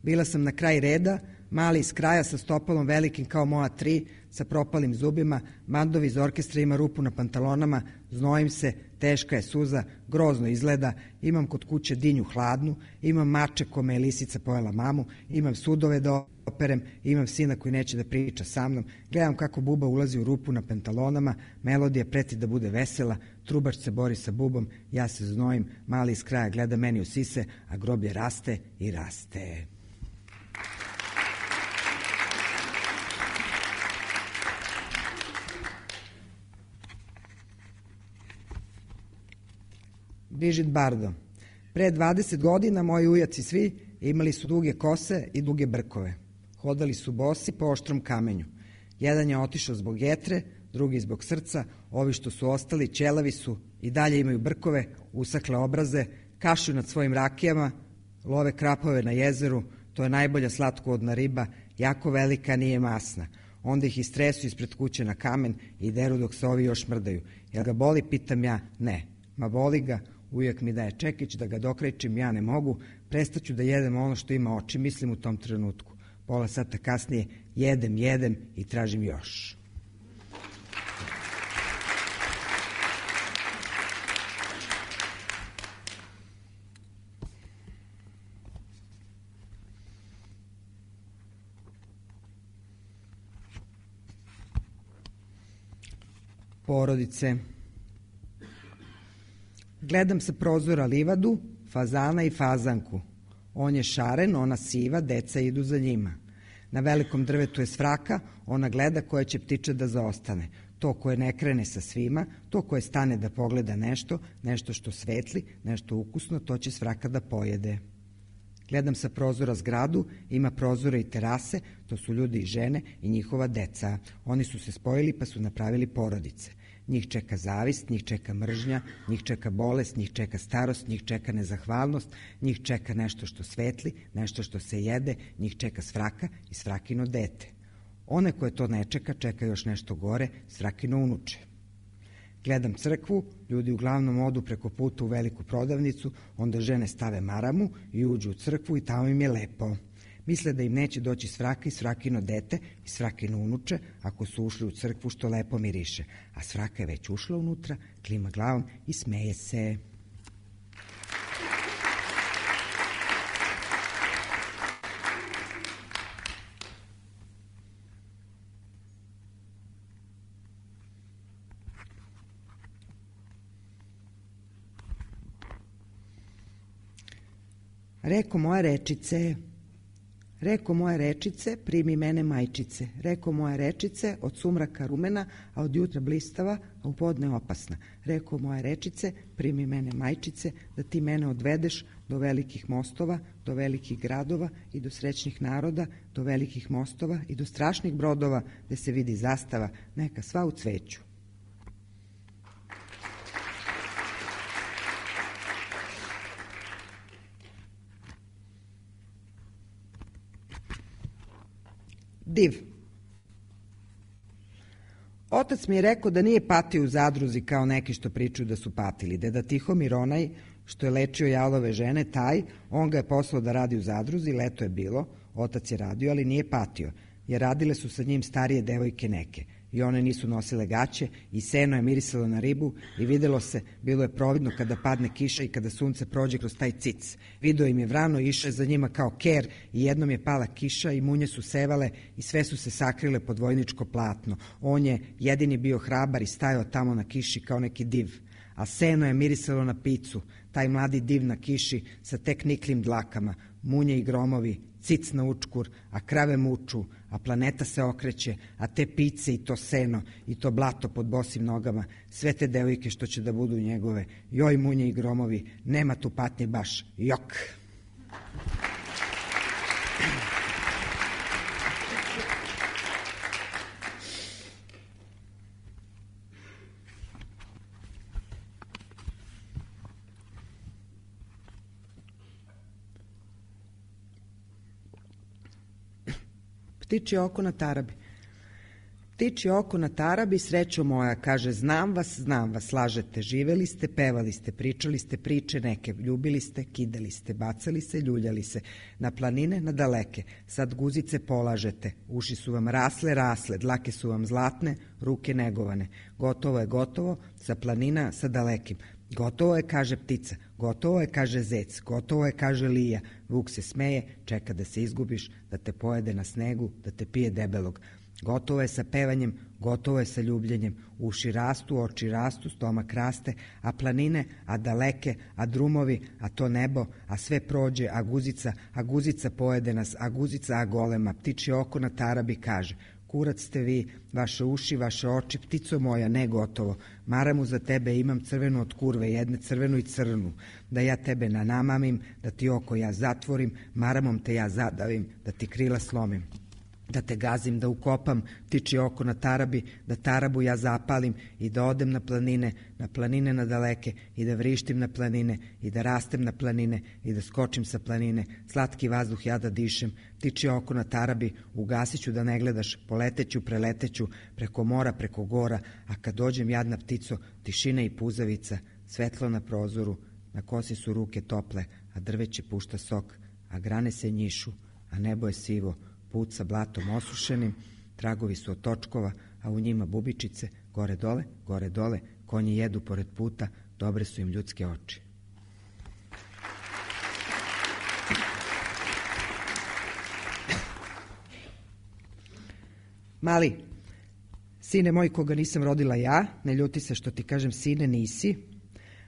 Bila sam na kraj reda, mali iz kraja sa stopalom velikim kao moja 3, sa propalim zubima, bandovi iz orkestra ima rupu na pantalonama, znojim se, teška je suza, grozno izgleda, imam kod kuće dinju hladnu, imam mače kome je lisica pojela mamu, imam sudove da operem, imam sina koji neće da priča sa mnom, gledam kako buba ulazi u rupu na pantalonama, melodija preti da bude vesela, trubač se bori sa bubom, ja se znojim, mali iz kraja gleda meni u sise, a groblje raste i raste. Brižit Bardo. Pre 20 godina moji ujaci svi imali su duge kose i duge brkove. Hodali su bosi po oštrom kamenju. Jedan je otišao zbog jetre, drugi zbog srca, ovi što su ostali ćelavi su i dalje imaju brkove, usakle obraze, kašlju nad svojim rakijama, love krapove na jezeru, to je najbolja slatkovodna riba, jako velika, nije masna. Onda ih istresu ispred kuće na kamen i deru dok se ovi još mrdaju. Jel ga boli, pitam ja, ne. Ma boli ga, ujak mi daje čekić da ga dokrećim, ja ne mogu, prestaću da jedem ono što ima oči, mislim u tom trenutku. Pola sata kasnije jedem i tražim još. Porodice. Gledam sa prozora livadu, fazana i fazanku. On je šaren, ona siva, deca idu za njima. Na velikom drvetu je svraka, ona gleda koja će ptiča da zaostane. To koje ne krene sa svima, to koje stane da pogleda nešto, nešto što svetli, nešto ukusno, to će svraka da pojede. Gledam sa prozora zgradu, ima prozore i terase, to su ljudi i žene i njihova deca. Oni su se spojili pa su napravili porodice. Njih čeka zavist, njih čeka mržnja, njih čeka bolest, njih čeka starost, njih čeka nezahvalnost, njih čeka nešto što svetli, nešto što se jede, njih čeka svraka i svrakino dete. One koje to ne čeka, čeka još nešto gore, svrakino unuče. Gledam crkvu, ljudi uglavnom odu preko puta u veliku prodavnicu, onda žene stave maramu i uđu u crkvu i tamo im je lepo. Misle da im neće doći svraka i svrakino dete i svrakino unuče ako su ušli u crkvu što lepo miriše. A svraka je već ušla unutra, klima glavom i smeje se. Reko moja rečice, Reko moje rečice, primi mene majčice. Reko moje rečice, od sumraka rumena, a od jutra blistava, a u podne opasna. Reko moje rečice, primi mene majčice, da ti mene odvedeš do velikih mostova, do velikih gradova i do srećnih naroda, do velikih mostova i do strašnih brodova, gde se vidi zastava, neka sva u cveću. Div. Otac mi je rekao da nije patio u zadruzi kao neki što pričaju da su patili. Deda Tihomir, onaj što je lečio jalove žene, taj, on ga je poslao da radi u zadruzi, leto je bilo, otac je radio, ali nije patio, jer radile su sa njim starije devojke neke. I one nisu nosile gaće i seno je mirisalo na ribu i videlo se, bilo je providno kada padne kiša i kada sunce prođe kroz taj cic. Video im je vrano i išao je za njima kao ker i jednom je pala kiša i munje su sevale i sve su se sakrile pod vojničko platno. On je jedini bio hrabar i stajao tamo na kiši kao neki div. A seno je mirisalo na picu, taj mladi div na kiši sa tek niklim dlakama, munje i gromovi, cic na učkur, a krave muču, a planeta se okreće, a te pice i to seno i to blato pod bosim nogama, sve te devojke što će da budu njegove, joj munje i gromovi, nema tu patnje baš, jok. Ptičje oko na tarabi. Ptičje oko na tarabi, srećo moja, kaže, znam vas, lažete, živeli ste, pevali ste, pričali ste priče neke, ljubili ste, kidali ste, bacali se, ljuljali se, na planine, na daleke, sad guzice polažete, uši su vam rasle, dlake su vam zlatne, ruke negovane, gotovo je gotovo, sa planina, sa dalekim. Gotovo je, kaže ptica, gotovo je, kaže zec, gotovo je, kaže lija. Vuk se smeje, čeka da se izgubiš, da te pojede na snegu, da te pije debelog. Gotovo je sa pevanjem, gotovo je sa ljubljenjem. Uši rastu, oči rastu, stomak raste, a planine, a daleke, a drumovi, a to nebo, a sve prođe, a guzica pojede nas, a guzica, a golema. Ptičje oko na tarabi kaže, kurac ste vi, vaše uši, vaše oči, ptico moja, ne gotovo. Maramu za tebe imam crvenu od kurve, jedne crvenu i crnu, da ja tebe nanamamim, da ti oko ja zatvorim, maramom te ja zadavim, da ti krila slomim. Da te gazim, da ukopam ptičje oko na tarabi, da tarabu ja zapalim i da odem na planine na daleke i da vrištim na planine i da rastem na planine i da skočim sa planine, slatki vazduh ja da dišem, ptičje oko na tarabi, ugasiću da ne gledaš, poleteću, preleteću, preko mora, preko gora, a kad dođem jadna ptico, tišina i puzavica, svetlo na prozoru, na kosi su ruke tople, a drveće pušta sok, a grane se njišu, a nebo je sivo, put sa blatom osušenim, tragovi su od točkova, a u njima bubičice, gore dole, konji jedu pored puta, dobre su im ljudske oči. Mali, sine moj koga nisam rodila ja, ne ljuti se što ti kažem sine nisi,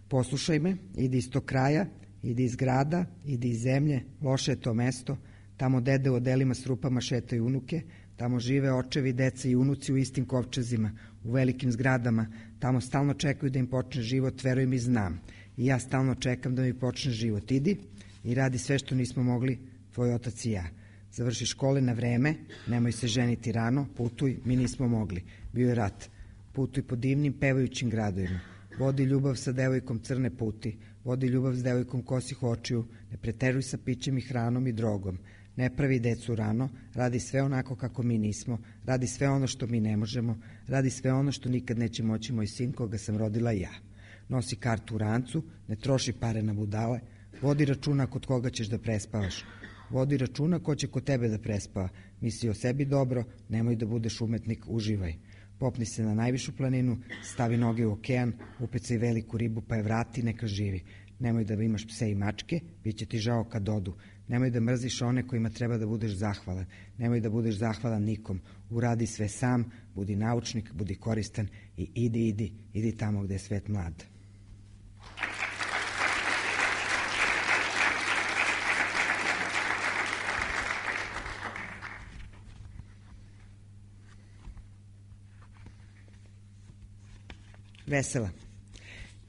poslušaj me, idi iz tog kraja, idi iz grada, idi iz zemlje, loše je to mesto, tamo dede u odelima s rupama šetaju unuke, tamo žive očevi, deca i unuci u istim kovčezima, u velikim zgradama, tamo stalno čekaju da im počne život, veruj mi znam. I ja stalno čekam da mi počne život. Idi i radi sve što nismo mogli, tvoj otac i ja. Završi škole na vreme, nemoj se ženiti rano, putuj, mi nismo mogli. Bio je rat. Putuj po divnim pevajućim gradovima. Vodi ljubav sa devojkom crne puti, vodi ljubav s devojkom kosih očiju, ne preteruj sa pićem i hranom i drogom. Ne pravi decu rano, radi sve onako kako mi nismo, radi sve ono što mi ne možemo, radi sve ono što nikad neće moći moj sin koga sam rodila ja. Nosi kartu u rancu, ne troši pare na budale, vodi računa kod koga ćeš da prespavaš. Vodi računa ko će kod tebe da prespava. Misli o sebi dobro, nemoj da budeš umetnik, uživaj. Popni se na najvišu planinu, stavi noge u okean, upecaj veliku ribu pa je vrati, neka živi. Nemoj da imaš pse i mačke, bit će ti žao kad odu. Nemoj da mrziš one kojima treba da budeš zahvalan. Nemoj da budeš zahvalan nikom. Uradi sve sam, budi naučnik, budi koristan i idi tamo gde je svet mlad. Vesela.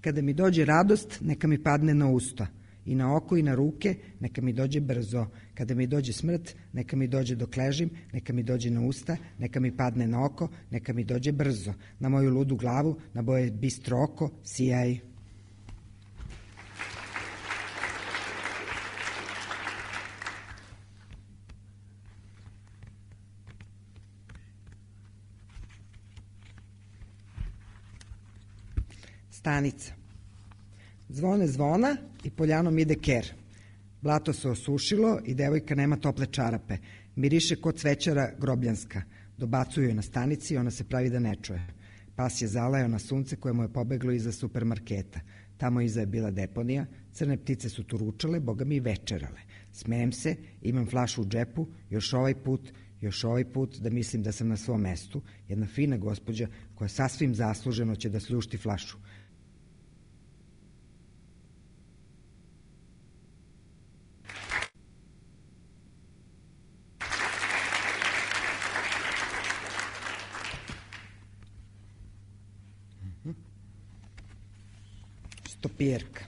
Kada mi dođe radost, neka mi padne na usta. I na oko i na ruke, neka mi dođe brzo. Kada mi dođe smrt, neka mi dođe dok ležim, neka mi dođe na usta, neka mi padne na oko, neka mi dođe brzo. Na moju ludu glavu, na moje bistro oko, sijaj. Stanica. Zvone zvona i poljanom ide ker. Blato se osušilo i devojka nema tople čarape. Miriše kod cvećara grobljanska. Dobacuju joj na stanici i ona se pravi da ne čuje. Pas je zalajao na sunce koje mu je pobeglo iza supermarketa. Tamo iza je bila deponija, crne ptice su turučale, boga mi i večerale. Smejem se, imam flašu u džepu, još ovaj put da mislim da sam na svom mestu. Jedna fina gospođa koja sasvim zasluženo će da sljušti flašu. Stopijerka.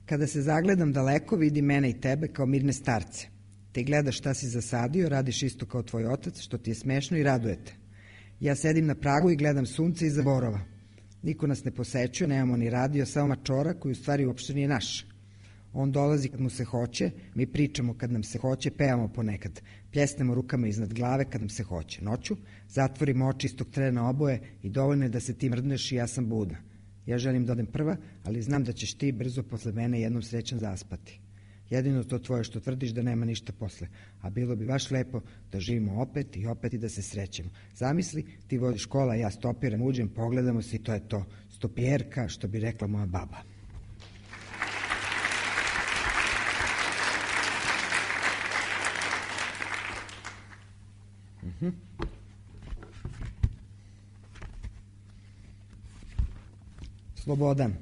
Kada se zagledam daleko, vidi mene i tebe kao mirne starce. Ti gledaš šta si zasadio, radiš isto kao tvoj otac, što ti je smešno i radujete. Ja sedim na pragu i gledam sunce iza borova. Niko nas ne posećuje, nemamo ni radio, samo mačora koji u stvari uopšte nije naš. On dolazi kad mu se hoće, mi pričamo kad nam se hoće, pevamo ponekad. Pljesnemo rukama iznad glave kad nam se hoće. Noću zatvorimo oči istog trena oboje i dovoljno je da se ti mrdneš i ja sam budna. Ja želim da odem prva, ali znam da ćeš ti brzo posle mene jednom srećan zaspati. Jedino to tvoje što tvrdiš da nema ništa posle, a bilo bi baš lepo da živimo opet i da se srećemo. Zamisli, ti vodiš kola, ja stopiram, uđem, pogledamo se i to je to. Stopijerka, što bi rekla moja baba. Slobodan.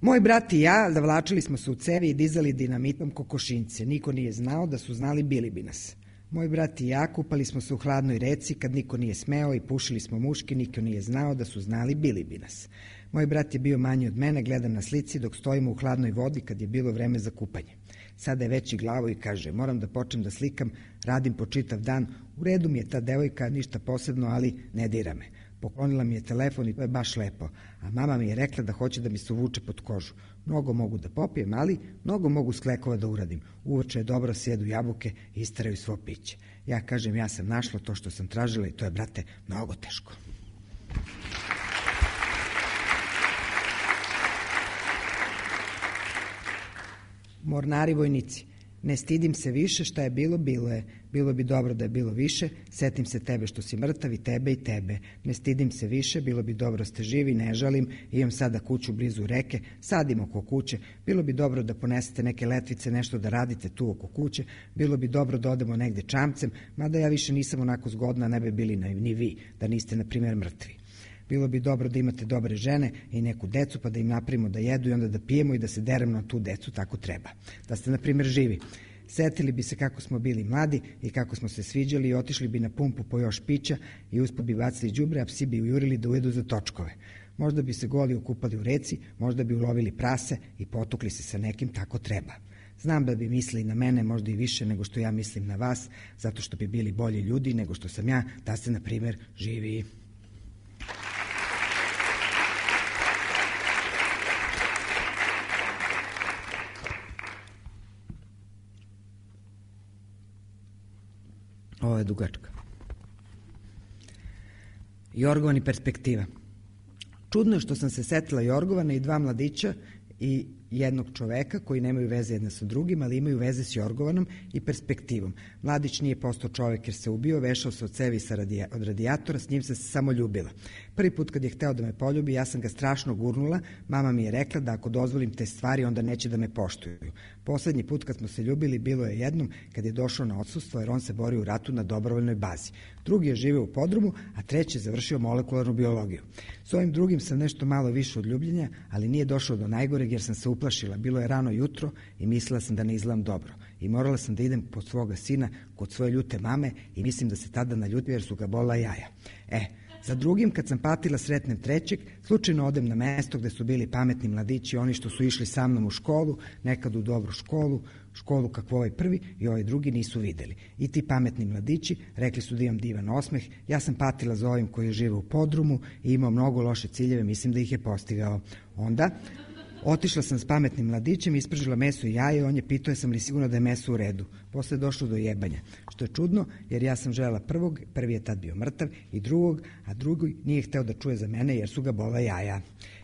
Moj brat i ja zavlačili smo se u cevi i dizali dinamitom kokošinjce. Niko nije znao, da su znali bili bi nas. Moj brat i ja kupali smo se u hladnoj reci kad niko nije smeo i pušili smo muški, niko nije znao, da su znali bili bi nas. Moj brat je bio manji od mene, gledam na slici dok stojimo u hladnoj vodi kad je bilo vreme za kupanje. Sada je veći glavo i kaže, moram da počnem da slikam, radim po čitav dan, u redu mi je ta devojka, ništa posebno, ali ne dira me. Poklonila mi je telefon i to je baš lepo, a mama mi je rekla da hoće da mi se uvuče pod kožu. Mnogo mogu da popijem, ali mnogo mogu sklekova da uradim. Uveče je dobro, sjedu jabuke i istaraju svo piće. Ja kažem, ja sam našla to što sam tražila i to je, brate, mnogo teško. Mornari vojnici. Ne stidim se više, šta je bilo, bilo je. Bilo bi dobro da je bilo više, setim se tebe što si mrtav i tebe. Ne stidim se više, bilo bi dobro ste živi, ne žalim, imam sada kuću blizu reke, sadim oko kuće, bilo bi dobro da ponesete neke letvice, nešto da radite tu oko kuće, bilo bi dobro da odemo negde čamcem, mada ja više nisam onako zgodna, ne bi bili ni vi, da niste, na primjer, mrtvi. Bilo bi dobro da imate dobre žene i neku decu, pa da im napravimo da jedu i onda da pijemo i da se deremo na tu decu, tako treba. Da ste, na primjer, živi. Setili bi se kako smo bili mladi i kako smo se sviđali i otišli bi na pumpu po još pića i uspod bi bacili đubre, a psi bi ujurili da ujedu za točkove. Možda bi se goli okupali u reci, možda bi ulovili prase i potukli se sa nekim, tako treba. Znam da bi mislili na mene možda i više nego što ja mislim na vas, zato što bi bili bolji ljudi nego što sam ja, da ste, na primjer, živi. Ovo je dugačka. Jorgovan i perspektiva. Čudno je što sam se setila Jorgovana i dva mladića i jednog čoveka koji nemaju veze jedna sa drugim, ali imaju veze s Jorgovanom i perspektivom. Mladić nije postao čovek jer se ubio, vešao se od cevi od radijatora, s njim sam se samo ljubila. Prvi put kad je hteo da me poljubi, ja sam ga strašno gurnula, mama mi je rekla da ako dozvolim te stvari, onda neće da me poštuju. Poslednji put kad smo se ljubili bilo je jednom kad je došao na odsustvo jer on se borio u ratu na dobrovoljnoj bazi. Drugi je živeo u podrumu, a treći je završio molekularnu biologiju. S ovim drugim sam nešto malo više od ljubljenja, ali nije došao do najgoreg jer sam se uplašila. Bilo je rano jutro i mislila sam da ne izgledam dobro. I morala sam da idem pod svoga sina kod svoje ljute mame i mislim da se tada naljutio jer su ga bola jaja. Za drugim, kad sam patila, sretnem trećeg, slučajno odem na mesto gde su bili pametni mladići, oni što su išli sa mnom u školu, nekad u dobru školu kakvu ovaj prvi i ovaj drugi nisu videli. I ti pametni mladići rekli su da imam divan osmeh, ja sam patila za ovim koji žive u podrumu i imao mnogo loše ciljeve, mislim da ih je postigao. Onda otišla sam s pametnim mladićem, ispržila meso i jaje, on je pitao jesam li sigurno da je meso u redu. Posle je došlo do jebanja, što je čudno jer ja sam želela prvog, prvi je tad bio mrtav, i drugog, a drugi nije hteo da čuje za mene jer su ga bola jaja.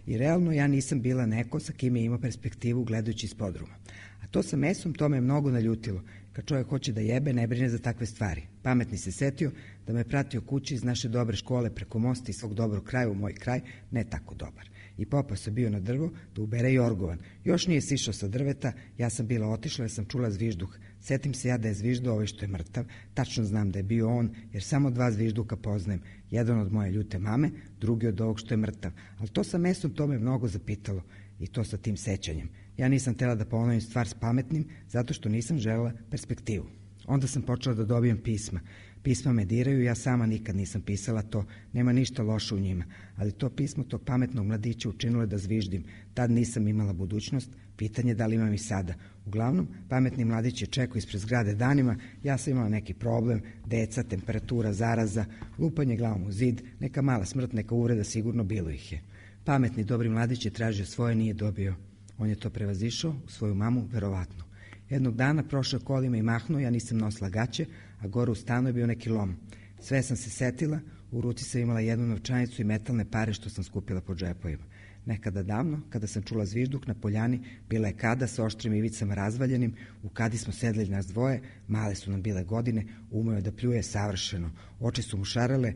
I realno ja nisam bila neko sa kim je imao perspektivu gledajući iz podruma. A to sa mesom, to me je mnogo naljutilo. Kad čovjek hoće da jebe, ne brine za takve stvari. Pametni se setio da me pratio kući iz naše dobre škole preko mosta i svog dobrog kraja u moj kraj, ne tako dobar. I popao se bio na drvo da ubere jorgovan. Još nije sišao sa drveta, ja sam bila otišla jer sam čula zvižduh. Setim se ja da je zviždao ovaj što je mrtav, tačno znam da je bio on, jer samo 2 zvižduka poznajem. Jedan od moje ljute mame, drugi od ovog što je mrtav. Ali to sa mesom, to me mnogo zapitalo. I to sa tim sećanjem. Ja nisam htjela da ponovim stvar s pametnim, zato što nisam želela perspektivu. Onda sam počela da dobijam pisma. Pisma me diraju, ja sama nikad nisam pisala to, nema ništa loše u njima. Ali to pismo tog pametnog mladića učinilo je da zviždim. Tad nisam imala budućnost, pitanje da li imam i sada. Uglavnom, pametni mladić je čekao ispred zgrade danima, ja sam imala neki problem, deca, temperatura, zaraza, lupanje glavom u zid, neka mala smrt, neka uvreda, sigurno bilo ih je. Pametni, dobri mladić je tražio svoje, nije dobio. On je to prevazišao u svoju mamu, verovatno. Jednog dana prošao kolima i mahnuo, ja nisam nosila gaće, a gore u stanu je bio neki lom. Sve sam se setila, u ruci sam imala jednu novčanicu i metalne pare što sam skupila po džepovima. Nekada davno, kada sam čula zvižduk na poljani, bila je kada sa oštrim ivicama razvaljenim, u kadi smo sedeli nas dvoje, male su nam bile godine, umeo je da pljuje savršeno, oči su mu šarale,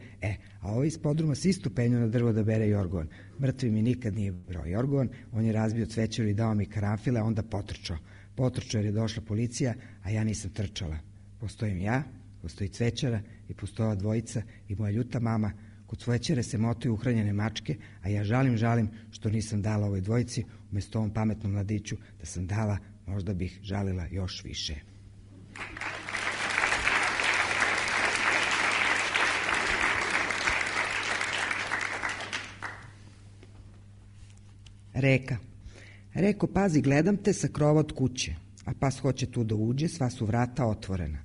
a ovaj iz podruma se isto penio na drvo da bere jorgovan. Mrtvi mi nikad nije brao jorgovan, on je razbio cvećeru i dao mi karanfile, a onda potrčao. Potrčao jer je došla policija, a ja nisam trčala. Postojim ja, postoji cvećara i postoja dvojica i moja ljuta mama. Kod cvećare se motaju uhranjene mačke, a ja žalim što nisam dala ovoj dvojici, umjesto ovom pametnom mladiću, da sam dala, možda bih žalila još više. Reka. Reko, pazi, gledam te sa krova od kuće, a pas hoće tu da uđe, sva su vrata otvorena.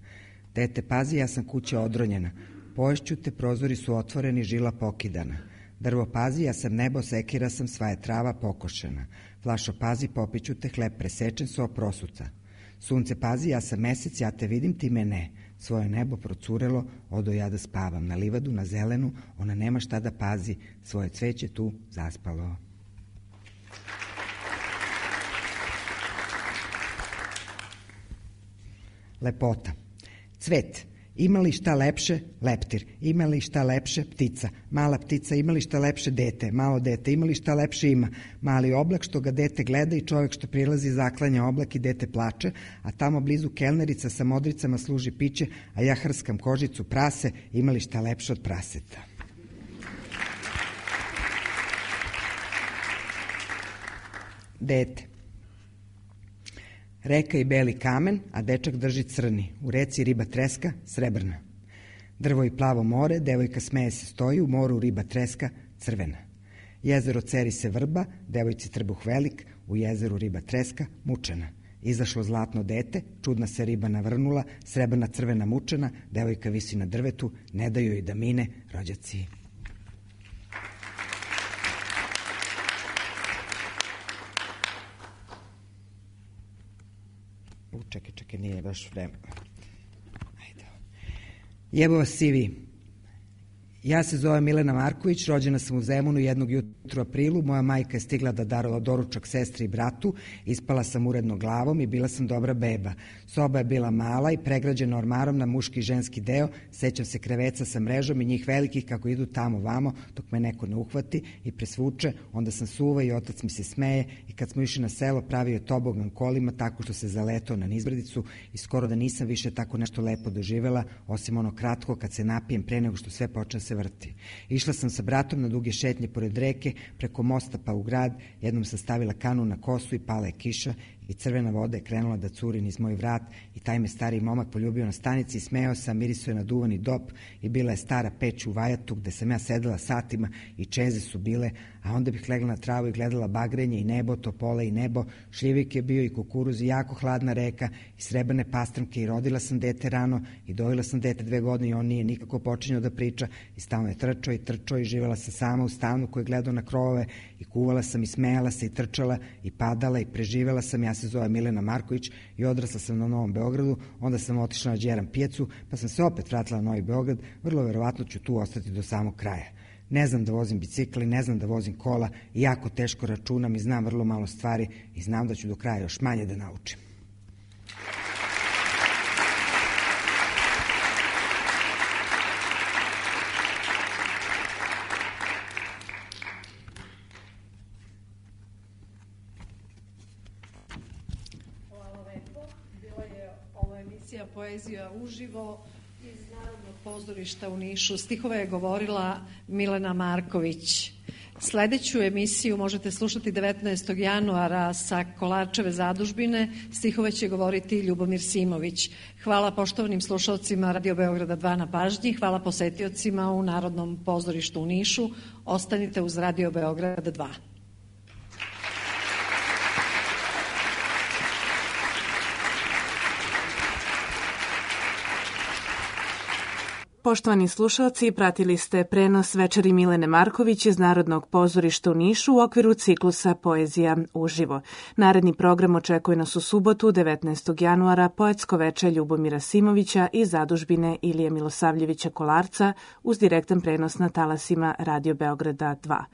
Dete, pazi, ja sam kuća odronjena, poješću te, prozori su otvoreni, žila pokidana. Drvo, pazi, ja sam nebo, sekira sam, sva je trava pokošena. Flašo, pazi, popiću te, hleb presečen, so prosuca. Sunce, pazi, ja sam mesec, ja te vidim, ti me ne. Svoje nebo procurelo, odo ja da spavam. Na livadu, na zelenu, ona nema šta da pazi, svoje cveće tu zaspalo. Lepota. Cvet. Ima li šta lepše? Leptir. Ima li šta lepše? Ptica. Mala ptica. Ima li šta lepše? Dete. Malo dete. Ima li šta lepše? Ima. Mali oblak što ga dete gleda i čovjek što prilazi zaklanja oblak i dete plače, a tamo blizu kelnerica sa modricama služi piće, a ja hrskam kožicu prase. Ima li šta lepše od praseta? Dete. Reka i beli kamen, a dečak drži crni. U reci riba treska, srebrna. Drvo i plavo more, devojka smeje se stoji, u moru riba treska, crvena. Jezero ceri se vrba, devojci trbuh velik, u jezeru riba treska, mučena. Izašlo zlatno dete, čudna se riba navrnula, srebrna crvena mučena, devojka visi na drvetu, ne daju joj da mine, rođaci. Čekaj, nije baš vreme. Ajde. Jebo vas svi vi. Ja se zovem Milena Marković, rođena sam u Zemunu jednog jutra u aprilu, moja majka je stigla da darala doručak sestri i bratu, ispala sam uredno glavom i bila sam dobra beba. Soba je bila mala i pregrađena ormarom na muški i ženski deo, sećam se kreveca sa mrežom i njih velikih kako idu tamo vamo dok me neko ne uhvati i presvuče, onda sam suva i otac mi se smeje i kad smo išli na selo pravio je tobogan kolima tako što se zaletao na nizbrdicu i skoro da nisam više tako nešto lepo doživela, osim ono kratko kad se napijem pre nego što sve počne se se vrti. Išla sam sa bratom na duge šetnje pored reke, preko mosta pa u grad, jednom sam stavila kanu na kosu i pala je kiša i crvena voda je krenula da curi niz moj vrat i taj me stariji momak poljubio na stanici i smejao sam, mirisao je na duvani dop i bila je stara peć u vajatu gde sam ja sedela satima i čeze su bile, a onda bih legla na travu i gledala bagrenje i nebo, topole i nebo, šljivik je bio i kukuruz i jako hladna reka i srebrne pastramke i rodila sam dete rano i dojela sam dete 2 godine i on nije nikako počinjao da priča i stalno je trčao i živela sam sama u stanu koji je gledao na krovove i kuvala sam i smejala se i trčala i padala i preživela sam. Ja se zove Milena Marković i odrasla sam na Novom Beogradu, onda sam otišla na Đeram pijacu, pa sam se opet vratila na Novi Beograd, vrlo verovatno ću tu ostati do samog kraja. Ne znam da vozim bicikl i ne znam da vozim kola i jako teško računam i znam vrlo malo stvari i znam da ću do kraja još manje da naučim. Poezija uživo iz Narodnog pozorišta u Nišu. Stihove je govorila Milena Marković. Sledeću emisiju možete slušati 19. januara sa Kolarčeve zadužbine. Stihove će govoriti Ljubomir Simović. Hvala poštovanim slušalcima Radio Beograda 2 na pažnji. Hvala posetiocima u Narodnom pozorištu u Nišu. Ostanite uz Radio Beograda 2. Poštovani slušalci, pratili ste prenos večeri Milene Marković iz Narodnog pozorišta u Nišu u okviru ciklusa Poezija uživo. Naredni program očekuje nas u subotu, 19. januara, poetsko veče Ljubomira Simovića i zadužbine Ilije Milosavljevića Kolarca uz direktan prenos na talasima Radio Beograda 2.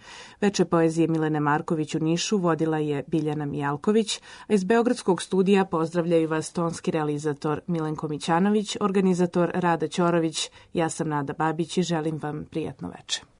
Veče poezije Milene Marković u Nišu vodila je Biljana Mijalković, a iz Beogradskog studija pozdravljaju vas tonski realizator Milenko Mićanović, organizator Rada Ćorović. Ja sam Nada Babić i želim vam prijatno veče.